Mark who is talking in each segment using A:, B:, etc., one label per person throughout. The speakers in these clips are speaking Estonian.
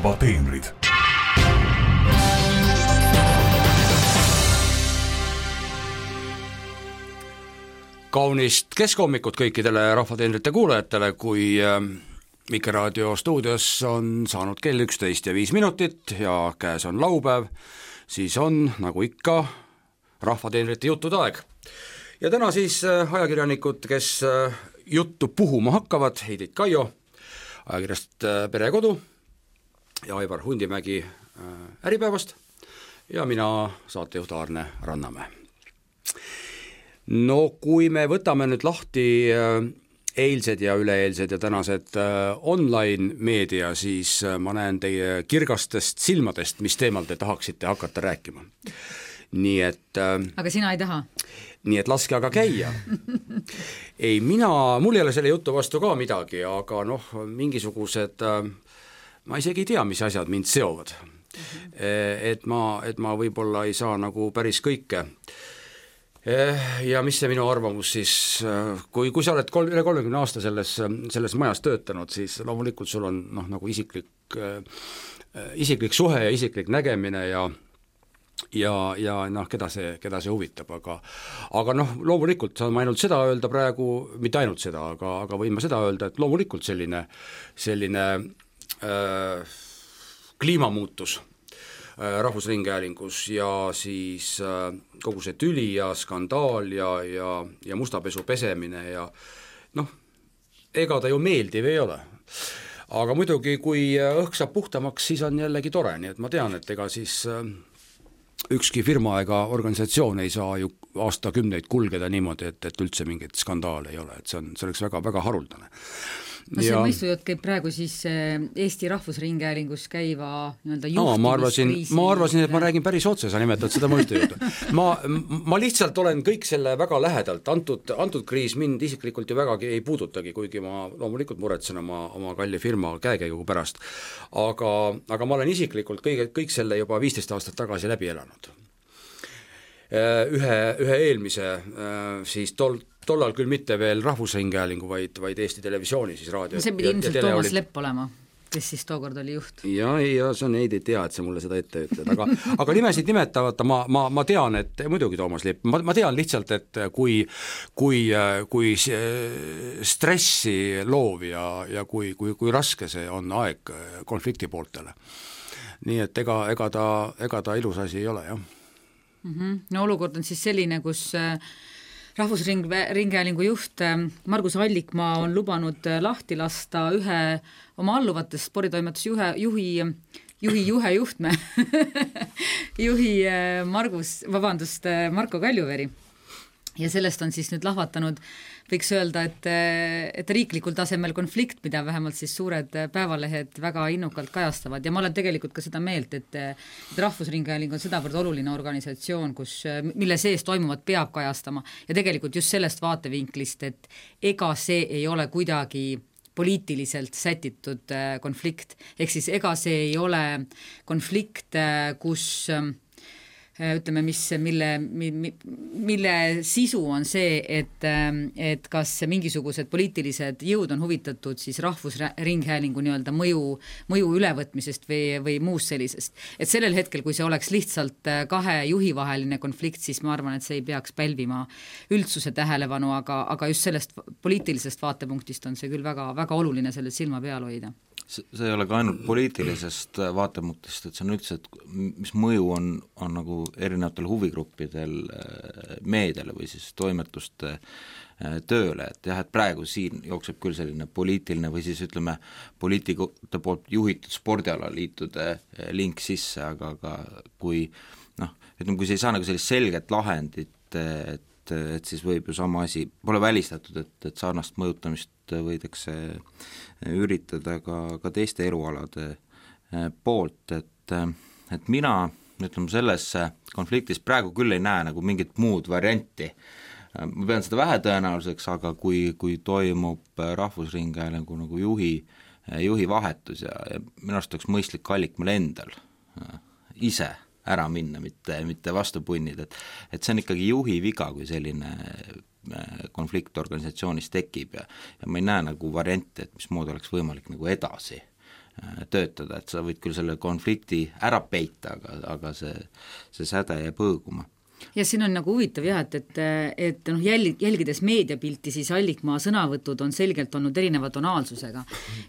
A: Rahvateenrid. Kaunist keskhommikut kõikidele Rahvateenrite kuulajatele, kui Vikerraadio stuudios on saanud kell 11:05 ja käes on laupäev, siis on, nagu ikka, Rahvateenrite juttude aeg. Ja täna siis ajakirjanikud, kes juttu puhuma hakkavad, Heidit Kaio ajakirjast Pere ja Kodu ja Aivar Hundimägi Äripäevast ja mina, saatejuht Aarne Rannamäe. No kui me võtame nüüd lahti eilsed ja üleeilsed ja tänased online meedia, siis ma näen teie kirgastest silmadest, mis teemal te tahaksite hakata rääkima. Nii et
B: aga sina ei taha?
A: Nii et laske aga käia. Ei, mul ei ole selle jutu vastu ka midagi, aga mingisugused, ma isegi ei tea, mis asjad mind seovad. Et ma võib-olla ei saa nagu päris kõike. Ja mis see minu arvamus siis, kui sa oled üle 30 aasta selles majas töötanud, siis loomulikult sul on nagu isiklik suhe ja isiklik nägemine ja keda see huvitab, aga loomulikult saan ma ainult seda öelda praegu, mitte ainult seda, aga võin ma seda öelda, et loomulikult selline kliimamuutus Rahvusringhäälingus ja siis kogu see tüli ja skandaal ja mustapesu pesemine ja ega ta ju meeldiv ei ole. Aga muidugi, kui õhk saab puhtamaks, siis on jällegi tore, nii et ma tean, et ega siis ükski firma ega organisatsioon ei saa ju aastakümneid kulgeda niimoodi, et üldse mingit skandaale ei ole, et see oleks väga, väga haruldane.
B: No see mõistujutt käib praegu siis Eesti Rahvusringhäälingus käiva juhtimiskriisi.
A: Ma arvasin, et ma räägin päris otse, sa nimetad seda mõistujuttu. Ma lihtsalt olen kõik selle väga lähedalt, antud kriis mind isiklikult ju vägagi ei puudutagi, kuigi ma loomulikult muretsen oma kalli firma käekäigu pärast, aga ma olen isiklikult kõik selle juba 15 aastat tagasi läbi elanud. Ühe eelmise siis tollal küll mitte veel Rahvusringhäälingu, vaid Eesti Televisiooni, siis raadio.
B: See pidi ilmselt Toomas Lepp olema, kes siis tookord oli juht.
A: Ja see on ei tea, et sa mulle seda ette ütled, aga nimesid nimetavata ma tean, et muidugi Toomas Lepp, ma tean lihtsalt, et kui stressi loov ja kui raske see on aeg konflikti pooltele. Nii et ega ta ilus asi ei ole, jah.
B: No olukord on siis selline, kus Rahvusringhäälingu juht Margus Allikmaa on lubanud lahti lasta ühe oma alluvatest sporditoimetuse juhi Marko Kaljuveri. Ja sellest on siis nüüd lahvatanud, võiks öelda, et riiklikul tasemel konflikt, mida vähemalt siis suured päevalehed väga innukalt kajastavad. Ja ma olen tegelikult ka seda meelt, et Rahvusringhääling on sedavõrd oluline organisatsioon, mille sees toimuvat peab kajastama. Ja tegelikult just sellest vaatevinklist, et ega see ei ole kuidagi poliitiliselt sätitud konflikt. Ehk siis ega see ei ole konflikt, kus ütleme, mille sisu on see, et kas mingisugused poliitilised jõud on huvitatud siis Rahvusringhäälingu nii-öelda mõju ülevõtmisest või muust sellisest. Et sellel hetkel, kui see oleks lihtsalt kahe juhi vaheline konflikt, siis ma arvan, et see ei peaks pälvima üldsuse tähelepanu, aga just sellest poliitilisest vaatepunktist on see küll väga, väga oluline selle silma peal hoida.
C: See ei ole ka ainult poliitilisest vaatepunktist, et see on üldse, et mis mõju on nagu erinevatel huvigruppidel meediale või siis toimetuste tööle, et jah, et praegu siin jookseb küll selline poliitiline või siis ütleme poliitikute poolt juhitud spordialaliitude link sisse, aga kui kui see ei saa nagu sellist selget lahendit, et siis võib ju sama asi, pole välistatud, et sarnast mõjutamist võidakse üritada ka teiste elualade poolt, et mina ütleme selles konfliktis praegu küll ei näe nagu mingit muud varianti. Ma pean seda vähetõenäoliseks, aga kui toimub Rahvusringhäälingu nagu juhi vahetus ja minu arust oleks mõistlik Allikmäel endal ise ära minna, mitte vastu punnida, et see on ikkagi juhi viga, kui selline konflikt organisatsioonis tekib ja ma ei näe nagu varianti, et mismoodi oleks võimalik nagu edasi töötada, et sa võid küll selle konflikti ära peita, aga see säde jääb õõguma.
B: Ja siin on nagu huvitav jah, et noh, jälgides meediapilti, siis Allikmaa sõnavõtud on selgelt olnud erineva tonaalsusega.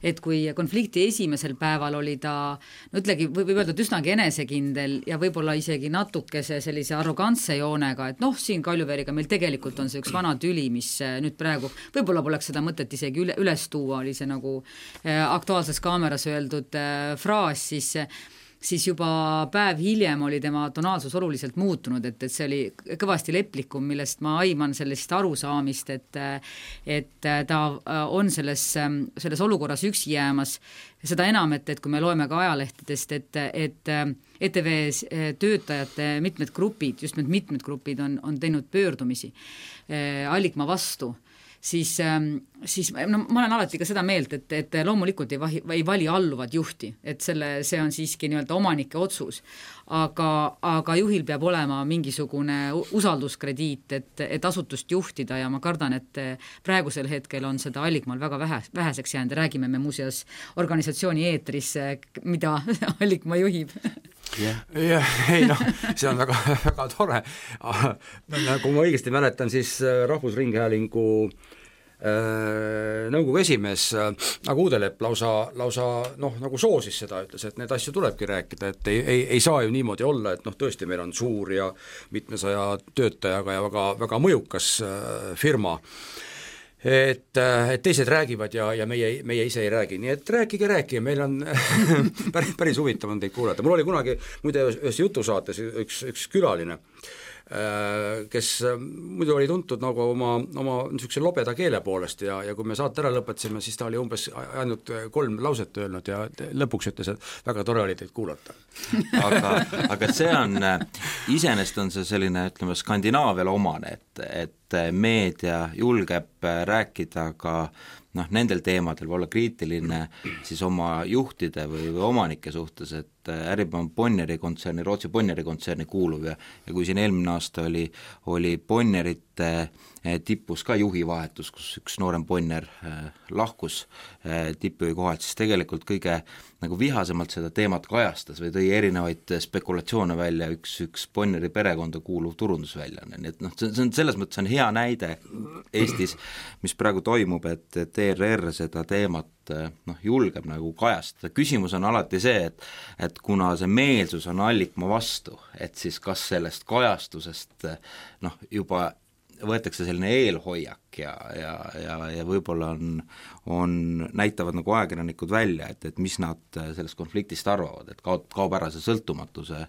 B: Et kui konflikti esimesel päeval oli ta, no ütlegi, võib öelda, et üsnagi enesekindel ja võib-olla isegi natukese sellise arrogantse joonega, et noh, siin Kaljuveriga meil tegelikult on see üks vana tüli, mis nüüd praegu, võib-olla poleks seda mõtet isegi üles tuua, oli see nagu Aktuaalses Kaameras öeldud fraas, siis juba päev hiljem oli tema tonaalsus oluliselt muutunud, et see oli kõvasti leplikum, millest ma aiman sellist arusaamist, et ta on selles olukorras üksi jäämas, seda enam, et kui me loeme ka ajalehtedest, et ETV töötajate mitmed grupid, just mitmed grupid on teinud pöördumisi Allikmaa vastu, siis no, ma olen alati ka seda meelt, et loomulikult ei vali alluvad juhti, et see on siiski nii-öelda omanike otsus, aga juhil peab olema mingisugune usalduskrediit, et asutust juhtida ja ma kardan, et praegusel hetkel on seda Allikmaal väga väheseks jäänud, räägime me muuseas organisatsiooni eetris, mida Allikmaa juhib.
A: Ei noh, see on väga, väga tore. Kui ma õigesti mäletan, siis Rahvusringhäälingu nõukogu esimees nagu Uudelepp lausa noh, nagu soosis seda, ütles, et need asju tulebki rääkida, et ei saa ju niimoodi olla, et noh, tõesti meil on suur ja mitmesaja töötajaga ja väga, väga mõjukas firma, et teised räägivad ja meie ise ei räägi, nii et rääkige, meil on päris huvitav on teid kuulata. Mul oli kunagi muide ühes jutusaates üks külaline, kes muidu oli tuntud nagu oma niisuguse lobeda keele poolest ja kui me saate ära lõpetasime, siis ta oli umbes ainult 3 lauset öelnud ja lõpuks ütles, et väga tore oli teid kuulata.
C: aga see on, iseenesest on see selline, ütleme, Skandinaaviale omane, et meedia julgeb rääkida ka noh, nendel teemadel olla kriitiline siis oma juhtide või omanike suhtes, et Äripäev Bonnieri kontserni, Rootsi Bonnieri kontserni kuuluv ja kui siin eelmine aasta oli Bonnerite tippus ka juhivahetus, kus üks noorem Bonner lahkus tippjuhi kohalt, siis tegelikult kõige nagu vihasemalt seda teemat kajastas või tõi erinevaid spekulatsioone välja üks Bonneri perekonda kuuluv turundusväljaane, nii et noh, see on selles mõttes on hea näide Eestis, mis praegu toimub, et ERR seda teemat noh, julgeb nagu kajastada. Küsimus on alati see, et kuna see meelsus on Allikmaa vastu, et siis kas sellest kajastusest noh, juba võetakse selline eelhoiak ja võib-olla näitavad nagu ajakirjanikud välja, et mis nad sellest konfliktist arvavad, et kaob ära see sõltumatuse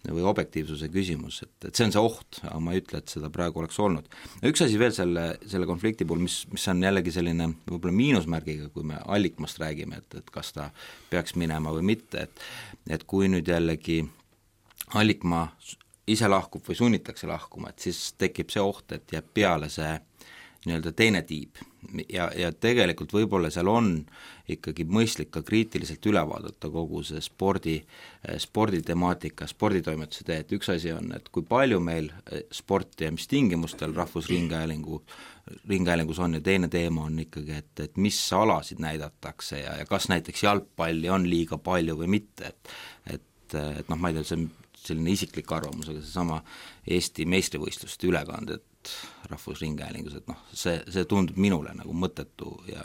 C: või objektiivsuse küsimus, et see on see oht, aga ma ei ütle, et seda praegu oleks olnud. Üks asi veel selle konflikti puhul, mis on jällegi selline võib-olla miinusmärgiga, kui me Allikmaast räägime, et kas ta peaks minema või mitte, et kui nüüd jällegi Allikmaa ise lahkub või sunnitakse lahkuma, et siis tekib see oht, et jääb peale see nii-öelda teine tiib ja tegelikult võib-olla seal on ikkagi mõistlik ka kriitiliselt üle vaadata kogu see sporditemaatika, sporditoimetuse tee, et üks asi on, et kui palju meil sporti ja mis tingimustel Rahvusringhäälingus on ja teine teema on ikkagi, et mis alasid näidatakse ja kas näiteks jalgpalli on liiga palju või mitte, et noh, ma ei tea, see on selline isiklik arvamus, aga seesama Eesti meistrivõistluste ülekanded Rahvusringhäälingus, et noh, see tundub minule nagu mõttetu ja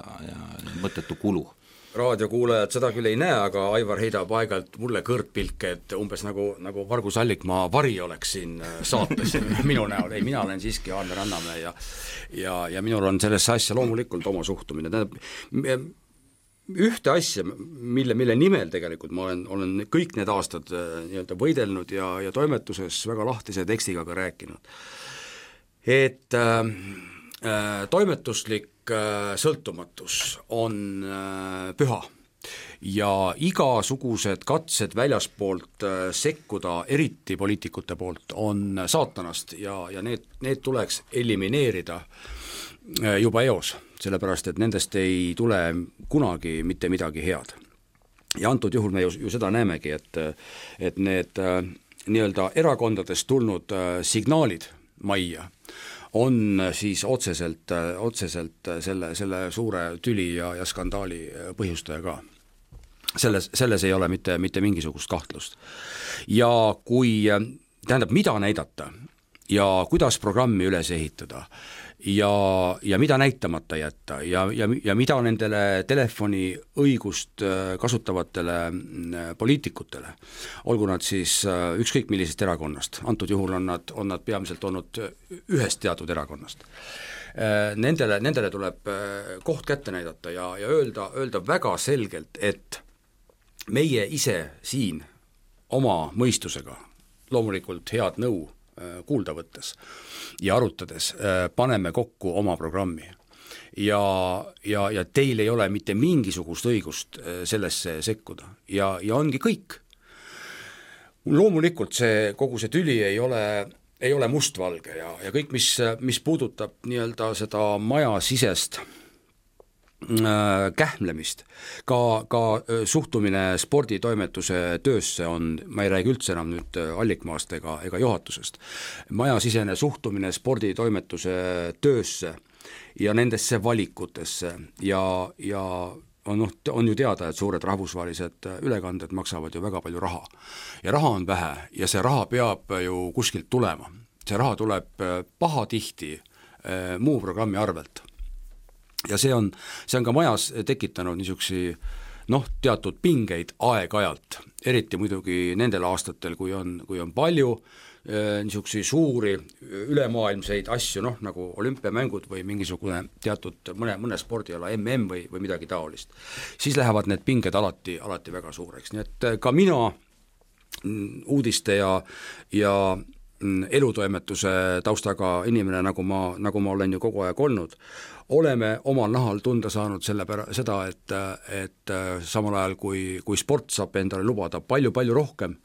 C: mõttetu kulu.
A: Raadiokuulajad seda küll ei näe, aga Aivar heidab aegalt mulle kõrtpilke, et umbes nagu Margus Allikmaa vari oleks siin saates minu näol, ei, mina olen siiski Aarne Rannamäe ja minul on sellesse asja loomulikult oma suhtumine, tähendab ühte asja, mille nimel tegelikult ma olen kõik need aastad nii-öelda võidelnud ja toimetuses väga lahtise tekstiga ka rääkinud, et toimetuslik sõltumatus on püha ja igasugused katsed väljaspoolt sekkuda, eriti poliitikute poolt, on saatanast ja need tuleks elimineerida juba eos, sellepärast et nendest ei tule kunagi mitte midagi head. Ja antud juhul me ju seda näemegi, et need nii-öelda erakondadest tulnud signaalid majja on siis otseselt selle suure tüli ja skandaali põhjustaja ka. selles ei ole mitte mingisugust kahtlust. Ja kui, tähendab, mida näidata ja kuidas programmi üles ehitada ja mida näitamata jätta ja mida nendele telefoni õigust kasutavatele poliitikutele, olgu nad siis ükskõik millisest erakonnast, antud juhul on nad peamiselt olnud ühest teatud erakonnast, nendele tuleb koht kätte näidata ja öelda väga selgelt, et meie ise siin oma mõistusega, loomulikult head nõu kuulda võttes ja arutades paneme kokku oma programmi ja teil ei ole mitte mingisugust õigust sellesse sekkuda ja ongi kõik. Loomulikult kogu see tüli ei ole mustvalge ja kõik, mis puudutab nii-öelda seda majasisest kähmlemist, ka suhtumine sporditoimetuse töösse on, ma ei räägi üldse enam nüüd Allikmaast ega juhatusest, majasisene suhtumine sporditoimetuse töösse ja nendesse valikutesse ja on ju teada, et suured rahvusvahelised ülekanded maksavad ju väga palju raha ja raha on vähe ja see raha peab ju kuskilt tulema, see raha tuleb pahatihti muu programmi arvelt. Ja see on ka majas tekitanud niisugusi teatud pingeid aeg-ajalt, eriti muidugi nendel aastatel, kui on palju niisugusi suuri ülemaailmseid asju, nagu olümpiamängud või mingisugune teatud mõne spordiala MM või midagi taolist, siis lähevad need pinged alati väga suureks, nii et ka mina uudiste ja elutoimetuse taustaga inimene, nagu ma olen ju kogu aeg olnud, oleme omal nahal tunda saanud seda, et samal ajal kui sport saab endale lubada palju rohkem,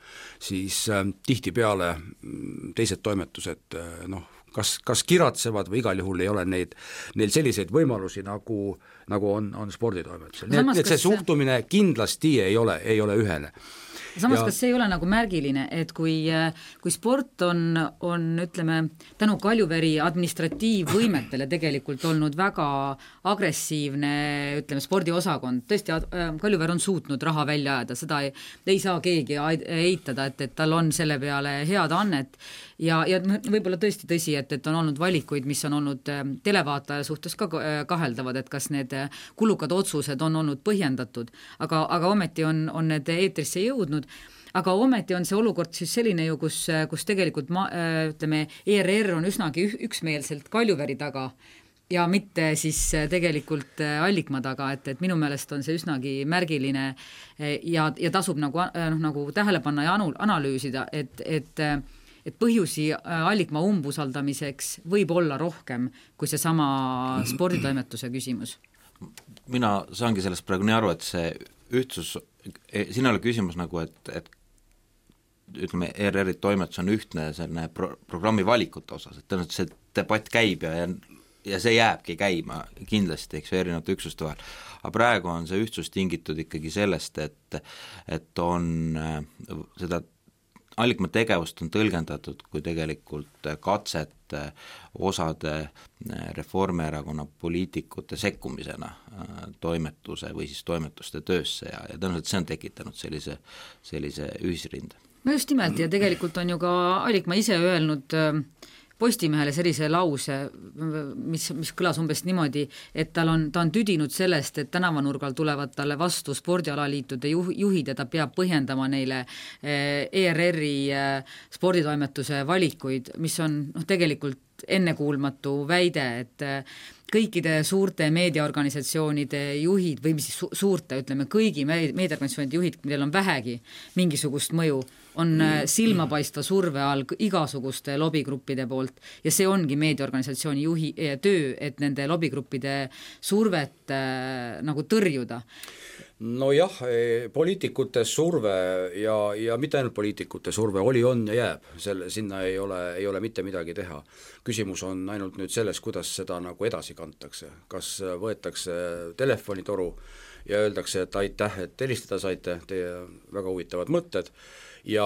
A: siis tihtipeale teised toimetused kas kiratsevad või igal juhul ei ole neil selliseid võimalusi, nagu on sporditoimetusel. Nii et see suhtumine kindlasti ei ole ühene.
B: Samas, kas see ei ole nagu märgiline, et kui sport on ütleme, tänu Kaljuveri administratiivvõimetele tegelikult olnud väga agressiivne, ütleme, spordiosakond, tõesti Kaljuver on suutnud raha välja ajada, seda ei saa keegi eitada, et tal on selle peale head annet ja võib-olla tõesti tõsi, et on olnud valikuid, mis on olnud televaataja suhtes ka kaheldavad, et kas need kulukad otsused on olnud põhjendatud, aga ometi on need eetrisse jõudnud. Aga ometi on see olukord siis selline ju, kus tegelikult ütleme, ERR on üsnagi üksmeelselt Kaljuveri taga ja mitte siis tegelikult Allikmaa taga, et minu meelest on see üsnagi märgiline ja tasub nagu tähele panna ja analüüsida, et põhjusi Allikmaa umbusaldamiseks võib olla rohkem kui see sama sporditoimetuse küsimus.
C: Mina saangi sellest praegu nii aru, et see ühtsus, siin ei ole küsimus nagu, et ütleme, ERR-i toimetus on ühtne selline programmi valikute osas, et tõenäoliselt see debatt käib ja see jääbki käima kindlasti, eks ju, erinevate üksuste vahel. Aga praegu on see ühtsus tingitud ikkagi sellest, et on seda Allikmaa tegevust on tõlgendatud kui tegelikult katset osade Reformierakonna poliitikute sekkumisena toimetuse või siis toimetuste töösse ja tõenäoliselt see on tekitanud sellise ühisrinde.
B: No just nimelt ja tegelikult on ju ka Allikmaa ise öelnud Postimehele sellise lause, mis kõlas umbes niimoodi, et ta on tüdinud sellest, et tänavanurgal tulevad talle vastu spordialaliitude juhid ja ta peab põhjendama neile ERR-i sporditoimetuse valikuid, mis on tegelikult ennekuulmatu väide, et kõikide suurte meediaorganisatsioonide juhid või mis suurte, ütleme, kõigi meediaorganisatsioonide juhid, millel on vähegi mingisugust mõju, on silmapaistva surve all igasuguste lobigruppide poolt ja see ongi meediaorganisatsiooni juhi töö, et nende lobigruppide survet nagu tõrjuda.
A: No jah, poliitikute surve ja mitte ainult poliitikute surve oli, on ja jääb, sinna ei ole mitte midagi teha. Küsimus on ainult nüüd selles, kuidas seda nagu edasi kantakse, kas võetakse telefonitoru ja öeldakse, et aitäh, et helistada saite, teie väga huvitavad mõtted ja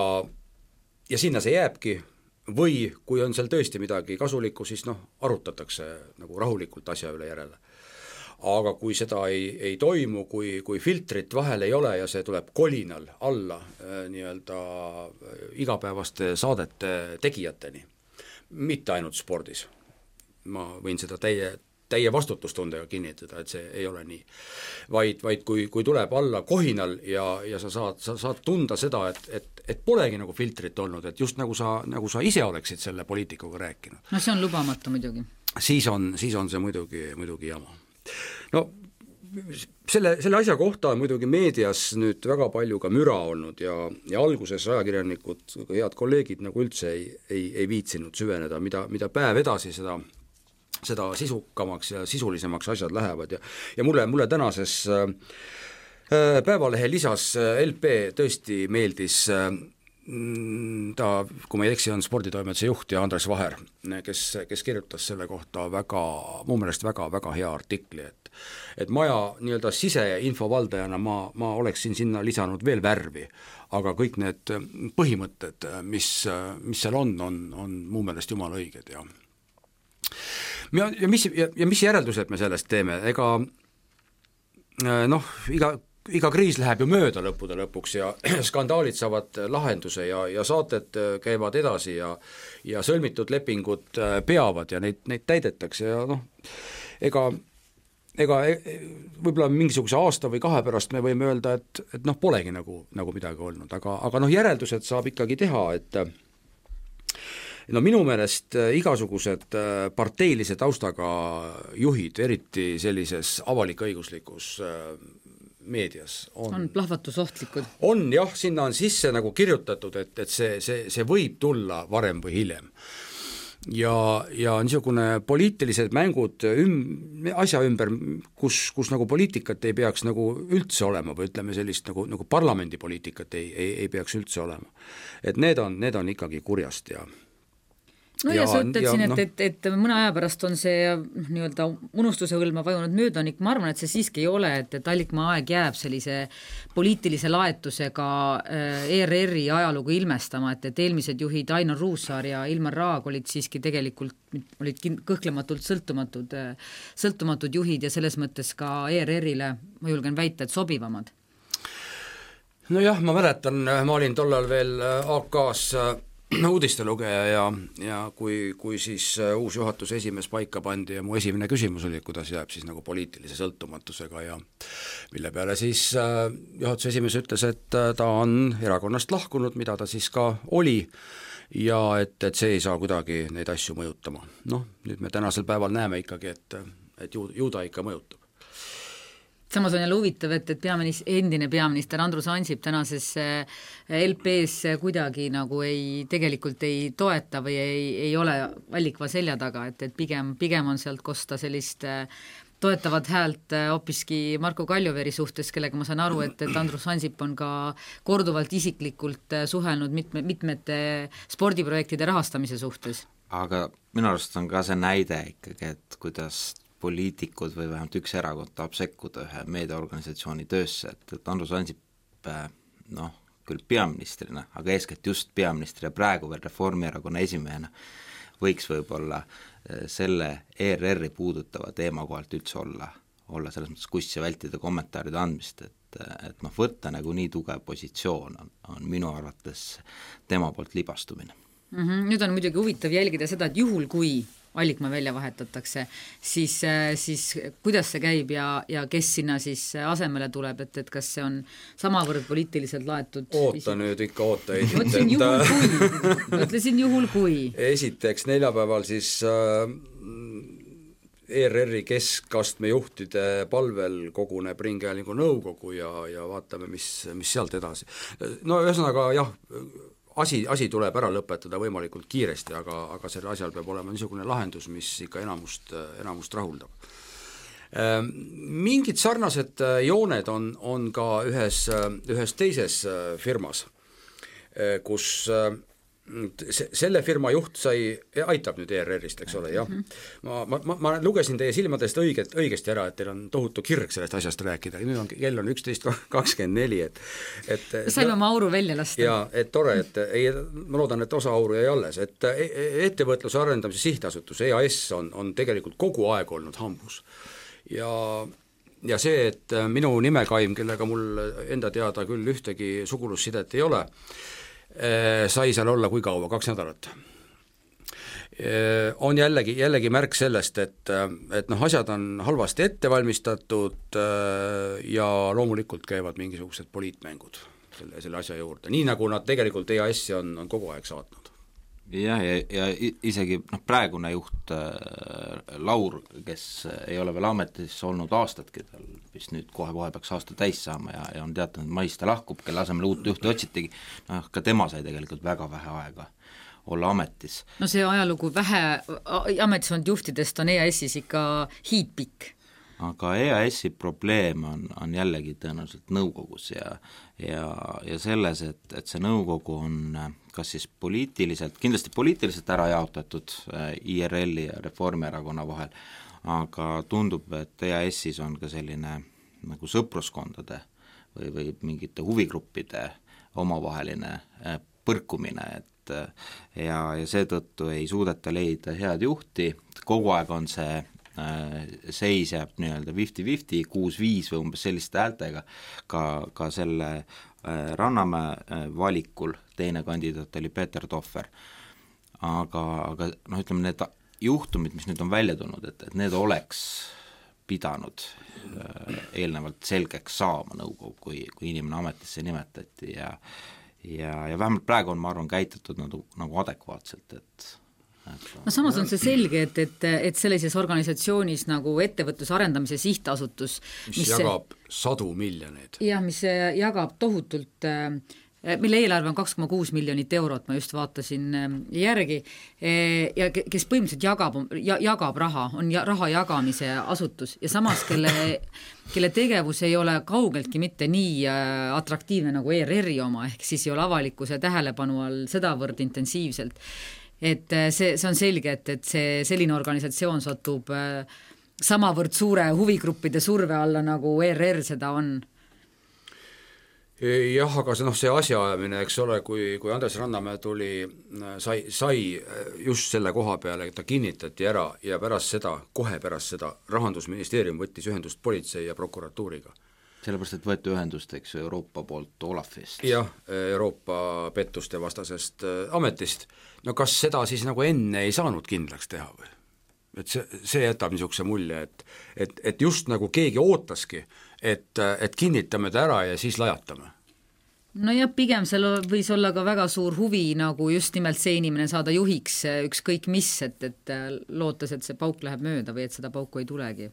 A: sinna see jääbki või kui on seal tõesti midagi kasulikku, siis arutatakse nagu rahulikult asja üle järele. aga kui seda ei toimu, kui filtrit vahel ei ole ja see tuleb kolinal alla nii-öelda igapäevaste saadete tegijateni, mitte ainult spordis, ma võin seda täie vastutustundega kinnitada, et see ei ole nii. Vaid kui tuleb alla kohinal ja sa saad tunda seda, et polegi nagu filtrit olnud, et just nagu sa ise oleksid selle poliitikuga rääkinud.
B: No see on lubamatu muidugi.
A: Siis on see muidugi jama. No selle asja kohta on muidugi meedias nüüd väga palju ka müra olnud ja alguses ajakirjanikud, head kolleegid nagu üldse ei viitsinud süveneda, mida päev edasi seda sisukamaks ja sisulisemaks asjad lähevad ja mulle tänases Päevalehe lisas LP tõesti meeldis ta, kui ma ei eksi, on sporditoimetuse juht ja Andres Vaher, kes kirjutas selle kohta mu meelest väga hea artikli, et maja nii-öelda siseinfo valdajana ma oleksin sinna lisanud veel värvi, aga kõik need põhimõtted, mis seal on mu meelest jumala õiged ja mis järeldused me sellest teeme, ega iga kriis läheb ju mööda lõppude lõpuks ja skandaalid saavad lahenduse ja saated käivad edasi ja sõlmitud lepingud peavad ja neid täidetakse ja ega võib-olla mingisuguse aasta või 2 pärast me võime öelda, et polegi nagu midagi olnud, aga järeldused saab ikkagi teha, et minu meelest igasugused parteilise taustaga juhid, eriti sellises avalik-õiguslikus meedias
B: on plahvatusohtlikud.
A: On jah, sinna on sisse nagu kirjutatud, et see võib tulla varem või hiljem. Ja niisugune poliitilised mängud asja ümber, kus nagu poliitikat ei peaks nagu üldse olema või ütleme sellist nagu parlamendipoliitikat ei peaks üldse olema. Et need on ikkagi kurjast ja
B: sa ütled siin, et mõne aja pärast on see nii-öelda unustuse hõlma vajunud möödanik, ma arvan, et see siiski ei ole, et Allikmaa aeg jääb sellise poliitilise laetusega ERR-i ajalugu ilmestama, et eelmised juhid Ainar Ruussaar ja Ilmar Raag olid siiski tegelikult kõhklematult sõltumatud juhid ja selles mõttes ka ERR-ile, ma julgen väita, et sobivamad.
A: Nojah, ma mäletan, ma olin tollal veel AK-s uudistelugeja ja kui siis uus juhatuse esimees paika pandi ja mu esimene küsimus oli, kuidas jääb siis nagu poliitilise sõltumatusega ja mille peale siis juhatuse esimees ütles, et ta on erakonnast lahkunud, mida ta siis ka oli ja et see ei saa kuidagi neid asju mõjutama. Nüüd me tänasel päeval näeme ikkagi, et ju ta ikka mõjutab.
B: Samas on jälle huvitav, et endine peaminister Andrus Ansip tänases LP-s kuidagi nagu tegelikult ei toeta või ei ole Allikmaa selja taga, et pigem on sealt kosta sellist toetavat häält hoopiski Marko Kaljuveri suhtes, kellega ma saan aru, et Andrus Ansip on ka korduvalt isiklikult suhelnud mitmete spordiprojektide rahastamise suhtes.
C: Aga minu arust on ka see näide ikkagi, et kuidas poliitikud või vähemalt üks erakond tahab sekkuda ühe meediaorganisatsiooni töösse, et Andrus Ansip küll peaministrina, aga eeskätt just peaministri ja praegu veel Reformierakonna esimehena võiks võib-olla selle ERR-i puudutava teema kohalt üldse olla selles mõttes kus ja vältida kommentaaride andmist, et võtta nagu nii tugev positsioon on minu arvates tema poolt libastumine.
B: Nüüd on muidugi huvitav jälgida seda, et juhul kui Allikmaa välja vahetatakse, siis kuidas see käib ja kes sinna siis asemele tuleb, et kas see on samavõrd poliitiliselt laetud?
A: Oota.
B: Mõtlesin juhul kui.
A: Esiteks neljapäeval siis ERR-i keskastme juhtide palvel koguneb ringhäälingu nõukogu ja vaatame, mis sealt edasi. Ühesõnaga jah, asi tuleb ära lõpetada võimalikult kiiresti, aga selle asjal peab olema niisugune lahendus, mis ikka enamust rahuldab. Mingid sarnased jooned on ka ühes teises firmas, kus selle firma juht aitab nüüd ERR-ist, eks ole, jah. Ma lugesin teie silmadest õigesti ära, et teil on tohutu kirg sellest asjast rääkida, nüüd on kell 11:24, et
B: saime oma auru välja lasta.
A: Ja, et tore, ma loodan, et osa auru jäi alles, et ettevõtluse arendamise sihtasutus EAS on tegelikult kogu aeg olnud hambus. ja see, et minu nimekaim, kellega mul enda teada küll ühtegi sugulussidet ei ole, sai seal olla kui kaua, 2 nädalat. On jällegi märk sellest, et noh, asjad on halvasti ette valmistatud ja loomulikult käivad mingisugused poliitmängud selle asja juurde, nii nagu nad tegelikult EAS-i on kogu aeg saatnud.
C: Jah, ja isegi praegune juht Laur, kes ei ole veel ametis olnud aastatki, tal vist nüüd kohe peaks aasta täis saama ja on teatanud, et mais ta lahkub, kelle asemel uut juhti otsitigi, ka tema sai tegelikult väga vähe aega olla ametis.
B: No see ajalugu vähe ametis olnud juhtidest on EAS-is ikka hiidpikk.
C: Aga EAS-i probleem on jällegi tõenäoliselt nõukogus ja selles, et see nõukogu on kas siis kindlasti poliitiliselt ära jaotatud IRL-i ja Reformierakonna vahel, aga tundub, et EAS-is on ka selline nagu sõpruskondade või mingite huvigruppide omavaheline põrkumine, ja seetõttu ei suudeta leida head juhti, kogu aeg on see seis jääb nii-öelda 50-50, 6-5 või umbes selliste häältega, ka selle Rannamäe valikul teine kandidaat oli Peeter Tohver. Aga ütleme, need juhtumid, mis nüüd on välja tulnud, et need oleks pidanud eelnevalt selgeks saama nõukogu, kui inimene ametisse nimetati ja vähemalt praegu on, ma arvan, käitutud nagu adekvaatselt,
B: no samas on see selge, et sellises organisatsioonis nagu ettevõtluse arendamise sihtasutus,
A: mis jagab 100 miljoneid.
B: Jah, mis jagab tohutult, mille eelarve on 2,6 miljonit eurot, ma just vaatasin järgi, ja kes põhimõtteliselt jagab raha, on raha jagamise asutus ja samas, kelle tegevus ei ole kaugeltki mitte nii atraktiivne nagu ERR-i oma, ehk siis ei ole avalikkuse tähelepanu all sedavõrd intensiivselt. Et see on selge, et see selline organisatsioon satub samavõrd suure huvigruppide surve alla, nagu ERR seda on.
A: Jah, aga see asjaajamine, eks ole, kui Andres Rannamäe sai just selle koha peale, ta kinnitati ära ja kohe pärast seda Rahandusministeerium võttis ühendust politsei ja prokuratuuriga.
C: Sellepärast, et võeti ühendust, eks, Euroopa poolt Olafist.
A: Jah, Euroopa pettuste vastasest ametist. No kas seda siis nagu enne ei saanud kindlaks teha või? Et see jätab niisuguse mulje, et just nagu keegi ootaski, et kinnitame ta ära ja siis lajatame.
B: No ja pigem seal võis olla ka väga suur huvi nagu just nimelt see inimene saada juhiks ükskõik mis, et lootes, et see pauk läheb mööda või et seda pauku ei tulegi.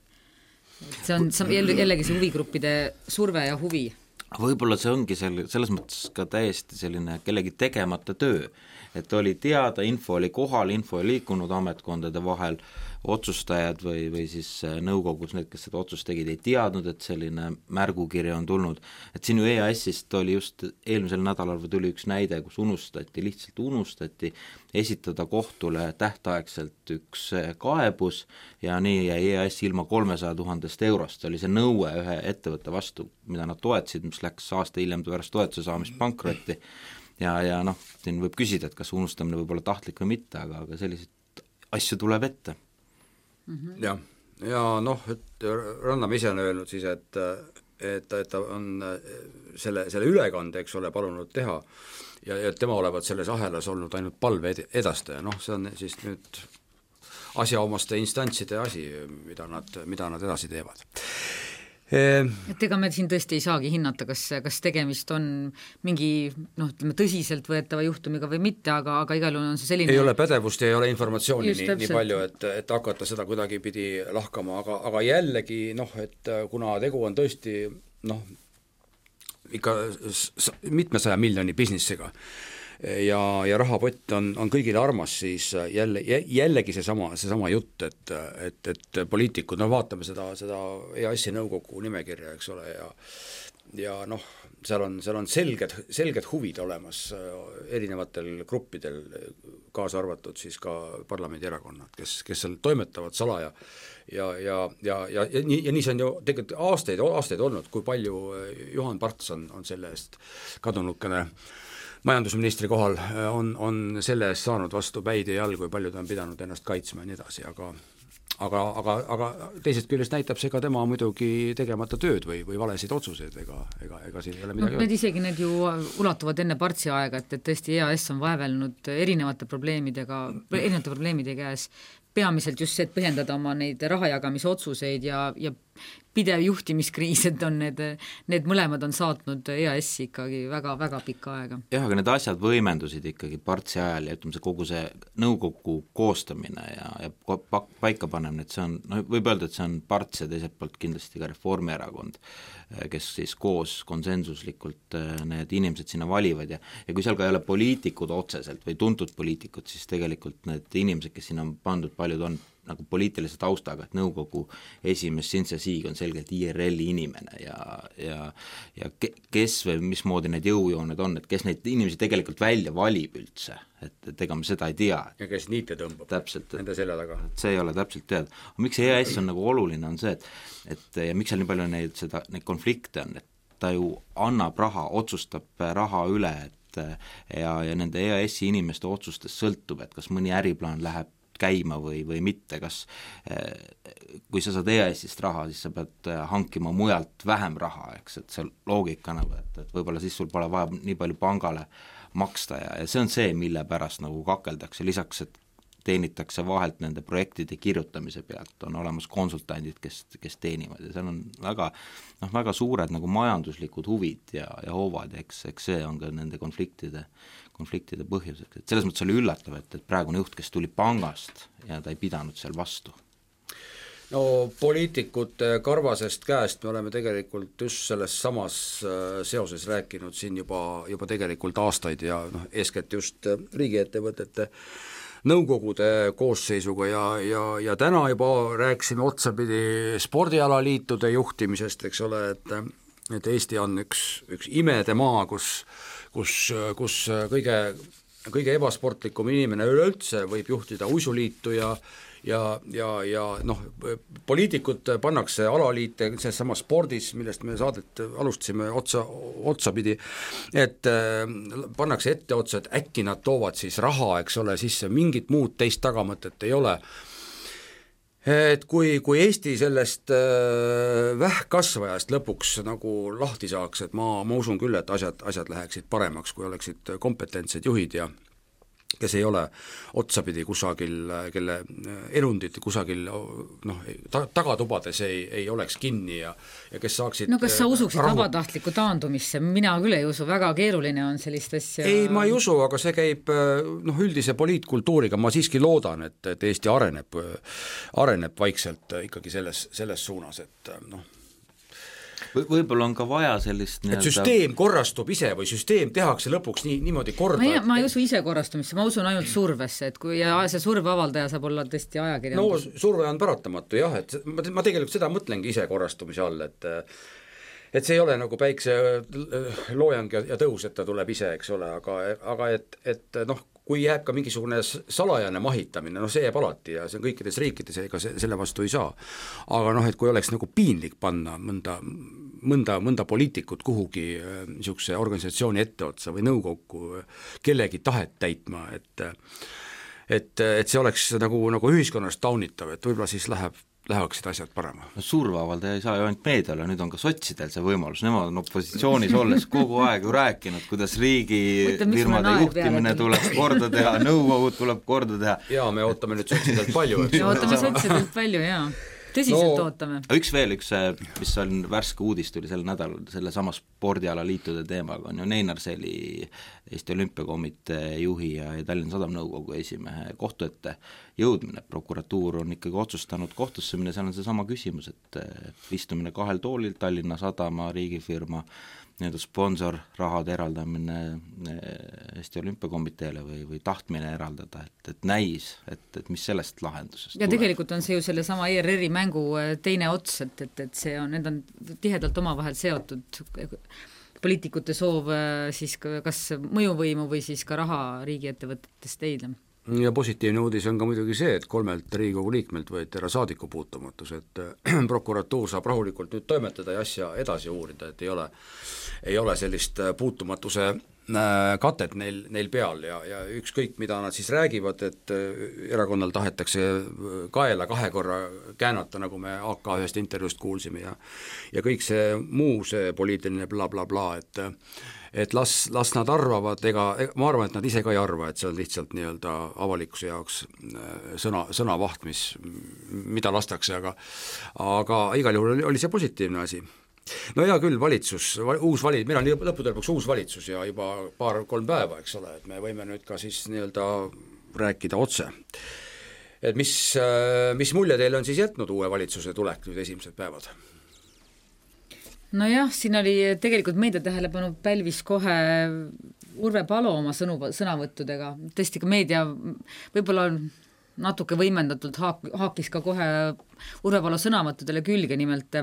B: See on jällegi see huvigruppide surve ja huvi.
C: Võib-olla see ongi selles mõttes ka täiesti selline kellegi tegemata töö, et oli teada, info oli kohal, info oli liikunud ametkondade vahel, otsustajad või siis nõukogus need, kes seda otsust tegid, ei teadnud, et selline märgukirja on tulnud. Et siin ju EAS-ist oli just eelmisel nädalal tuli üks näide, kus lihtsalt unustati esitada kohtule tähtaegselt üks kaebus ja nii jäi EAS ilma 300 000 eurost. See oli see nõue ühe ettevõtte vastu, mida nad toetasid, mis läks aasta hiljem pärast toetuse saamist pankrotti. Ja siin võib küsida, et kas unustamine võib olla tahtlik või mitte, aga selliseid asju tuleb ette.
A: Ja et Rannamäe ise on öelnud siis, et ta on selle ülekande, eks ole, palunud teha ja tema olevat selles ahelas olnud ainult palve edastaja, see on siis nüüd asjaomaste instantside asi, mida nad edasi teevad.
B: Et ega me siin tõesti ei saagi hinnata, kas tegemist on mingi tõsiselt võetava juhtumiga või mitte, aga igal juhul on see selline...
A: Ei ole pädevust ja ei ole informatsiooni nii palju, et hakata seda kuidagi pidi lahkama, aga jällegi, et kuna tegu on tõesti ikka mitmesaja miljoni businessega ja rahapott on kõigile armas, siis jällegi seesama jutt, et poliitikud, vaatame seda EAS-i nõukogu nimekirja, eks ole, ja seal on selged huvid olemas erinevatel gruppidel, kaasa arvatud siis ka parlamendierakonnad, kes seal toimetavad salaja ja nii see on ju tegelikult aastaid olnud, kui palju Juhan Parts on selle eest kadunukene majandusministri kohal on selle eest saanud vastu päid ja jalgu, kui palju ta on pidanud ennast kaitsma ja nii edasi, aga teisest küljest näitab see ka tema muidugi tegemata tööd või valesid otsuseid, ega siin ei ole midagi
B: need isegi need ju ulatuvad enne Partsi aega, et tõesti EAS on vaevelnud erinevate probleemide käes, peamiselt just see, et põhjendada oma neid rahajagamisotsuseid ja pidev juhtimiskriis, et on need mõlemad on saatnud EAS-i ikkagi väga-väga pikka aega.
C: Jah, aga need asjad võimendusid ikkagi Partsi ajal ja ütleme, see kogu see nõukogu koostamine ja paika panemine, et see on, võib öelda, et see on Parts ja teiselt poolt kindlasti ka Reformierakond, kes siis koos konsensuslikult need inimesed sinna valivad ja kui seal ka ei ole poliitikud otseselt või tuntud poliitikud, siis tegelikult need inimesed, kes sinna on pandud, paljud on nagu poliitilise taustaga, et nõukogu esimees Sintse Siig on selgelt IRL-i inimene ja kes või mismoodi need jõujooned on, et kes neid inimesi tegelikult välja valib üldse, et ega me seda ei tea.
A: Ja kes niite tõmbab
C: täpselt,
A: nende selja taga.
C: See ei ole täpselt teada. Miks EAS on nagu oluline, on see, et ja miks seal nii palju neid konflikte on, et ta ju annab raha, otsustab raha üle, ja nende EAS-i inimeste otsustest sõltub, et kas mõni äriplaan läheb käima või mitte, kas kui sa saad EAS-ist raha, siis sa pead hankima mujalt vähem raha, eks, et see loogika nagu, et võib-olla siis sul pole vaja nii palju pangale maksta ja see on see, mille pärast nagu kakeldakse, lisaks, et teenitakse vahelt nende projektide kirjutamise pealt, on olemas konsultandid, kes teenivad ja seal on väga suured nagu majanduslikud huvid ja hoovad, eks see on ka nende konfliktide põhjuseks, et selles mõttes oli üllatav, et praegune juht, kes tuli pangast ja ta ei pidanud seal vastu.
A: No poliitikute karvasest käest me oleme tegelikult just selles samas seoses rääkinud siin juba tegelikult aastaid ja eeskätt just riigiettevõtete nõukogude koosseisuga ja täna juba rääkisime otsapidi spordialaliitude juhtimisest, eks ole, et Eesti on üks imede maa, kus kõige ebasportlikum inimene üleüldse võib juhtida uisuliitu ja poliitikud pannakse alaliite seesama spordis, millest me saadet alustasime otsapidi, et pannakse etteotsa, et äkki nad toovad siis raha, eks ole, sisse, mingit muud teist tagamõtet ei ole. Et kui Eesti sellest vähkkasvajast lõpuks nagu lahti saaks, et ma usun küll, et asjad läheksid paremaks, kui oleksid kompetentsed juhid ja kes ei ole otsapidi kusagil, kelle elundid kusagil tagatubades ei oleks kinni ja kes saaksid
B: kas sa usuksid vabatahtlikku taandumisse? Mina küll ei usu, väga keeruline on sellist asja.
A: Ei, ma ei usu, aga see käib üldise poliitkultuuriga, ma siiski loodan, et Eesti areneb vaikselt ikkagi selles suunas, et
C: võib-olla on ka vaja sellist
A: et süsteem korrastub ise või süsteem tehakse lõpuks niimoodi korda.
B: Ma ei usu ise korrastumisse, ma usun ainult survesse, et kui see surveavaldaja saab olla tõesti ajakirjandus.
A: No surve on paratamatu jah, et ma tegelikult seda mõtlengi ise korrastumise all, et see ei ole nagu päikse loojang ja tõus, et ta tuleb ise, eks ole, aga et kui jääb ka mingisugune salajane mahitamine, see jääb alati ja see on kõikides riikides, ega selle vastu ei saa. Aga et kui oleks nagu piinlik panna mõnda poliitikut kuhugi niisuguse organisatsiooni etteotsa või nõukokku kellegi tahet täitma, et see oleks nagu ühiskonnas taunitav, et võib-olla siis läheksid asjad parema.
C: Surveavaldaja ei saa ju ainult meediale, nüüd on ka sotsidel see võimalus, nemad on opositsioonis olles kogu aeg ju rääkinud, kuidas riigifirmade juhtimine tuleb korda teha, nõukogud tuleb korda teha.
A: Jaa, me ootame nüüd sotsidelt palju.
B: Me ootame sotsidelt palju, jaa. Tõsiselt ootame.
C: Üks, mis on värske uudis tuli sel nädalal, selle sama spordialaliitude teemaga on ju Neinar Seli, Eesti Olümpiakomitee juhi ja Tallinna Sadama nõukogu esimehe kohtu ette jõudmine. Prokuratuur on ikkagi otsustanud kohtusse minna, seal on see sama küsimus, et istumine 2 toolil, Tallinna Sadama riigifirma sponsorrahade eraldamine Eesti Olümpiakomiteele või tahtmine eraldada, et näis, et mis sellest lahendusest
B: ja tegelikult on see ju selle sama ERR-i mängu teine ots, et see on, need on tihedalt omavahel seotud poliitikute soov siis kas mõjuvõimu või siis ka raha riigiettevõtetest leida.
A: Ja positiivne uudis on ka muidugi see, et 3 Riigikogu liikmelt võeti ära saadikupuutumatus, et prokuratuur saab rahulikult nüüd toimetada ja asja edasi uurida, et ei ole sellist puutumatuse katet neil peal ja ükskõik, mida nad siis räägivad, et erakonnal tahetakse kaela 2 korra käänata, nagu me AK ühest intervjuust kuulsime ja kõik see muu, see poliitiline bla, et las nad arvavad, ma arvan, et nad ise ka ei arva, et see on lihtsalt nii-öelda avalikkuse jaoks sõnavaht, mida lastakse, aga igal juhul oli see positiivne asi. No hea küll, meil on lõppude lõpuks uus valitsus ja juba 2-3 päeva, eks ole, et me võime nüüd ka siis nii-öelda rääkida otse. Et mis mulje teile on siis jätnud uue valitsuse tulek nüüd esimesed päevad?
B: Nojah, siin oli tegelikult meediatähelepanu pälvis kohe Urve Palo oma sõnavõttudega, tõesti ka meedia võib-olla natuke võimendatult haakis ka kohe Urve Palo sõnavõttudele külge, nimelt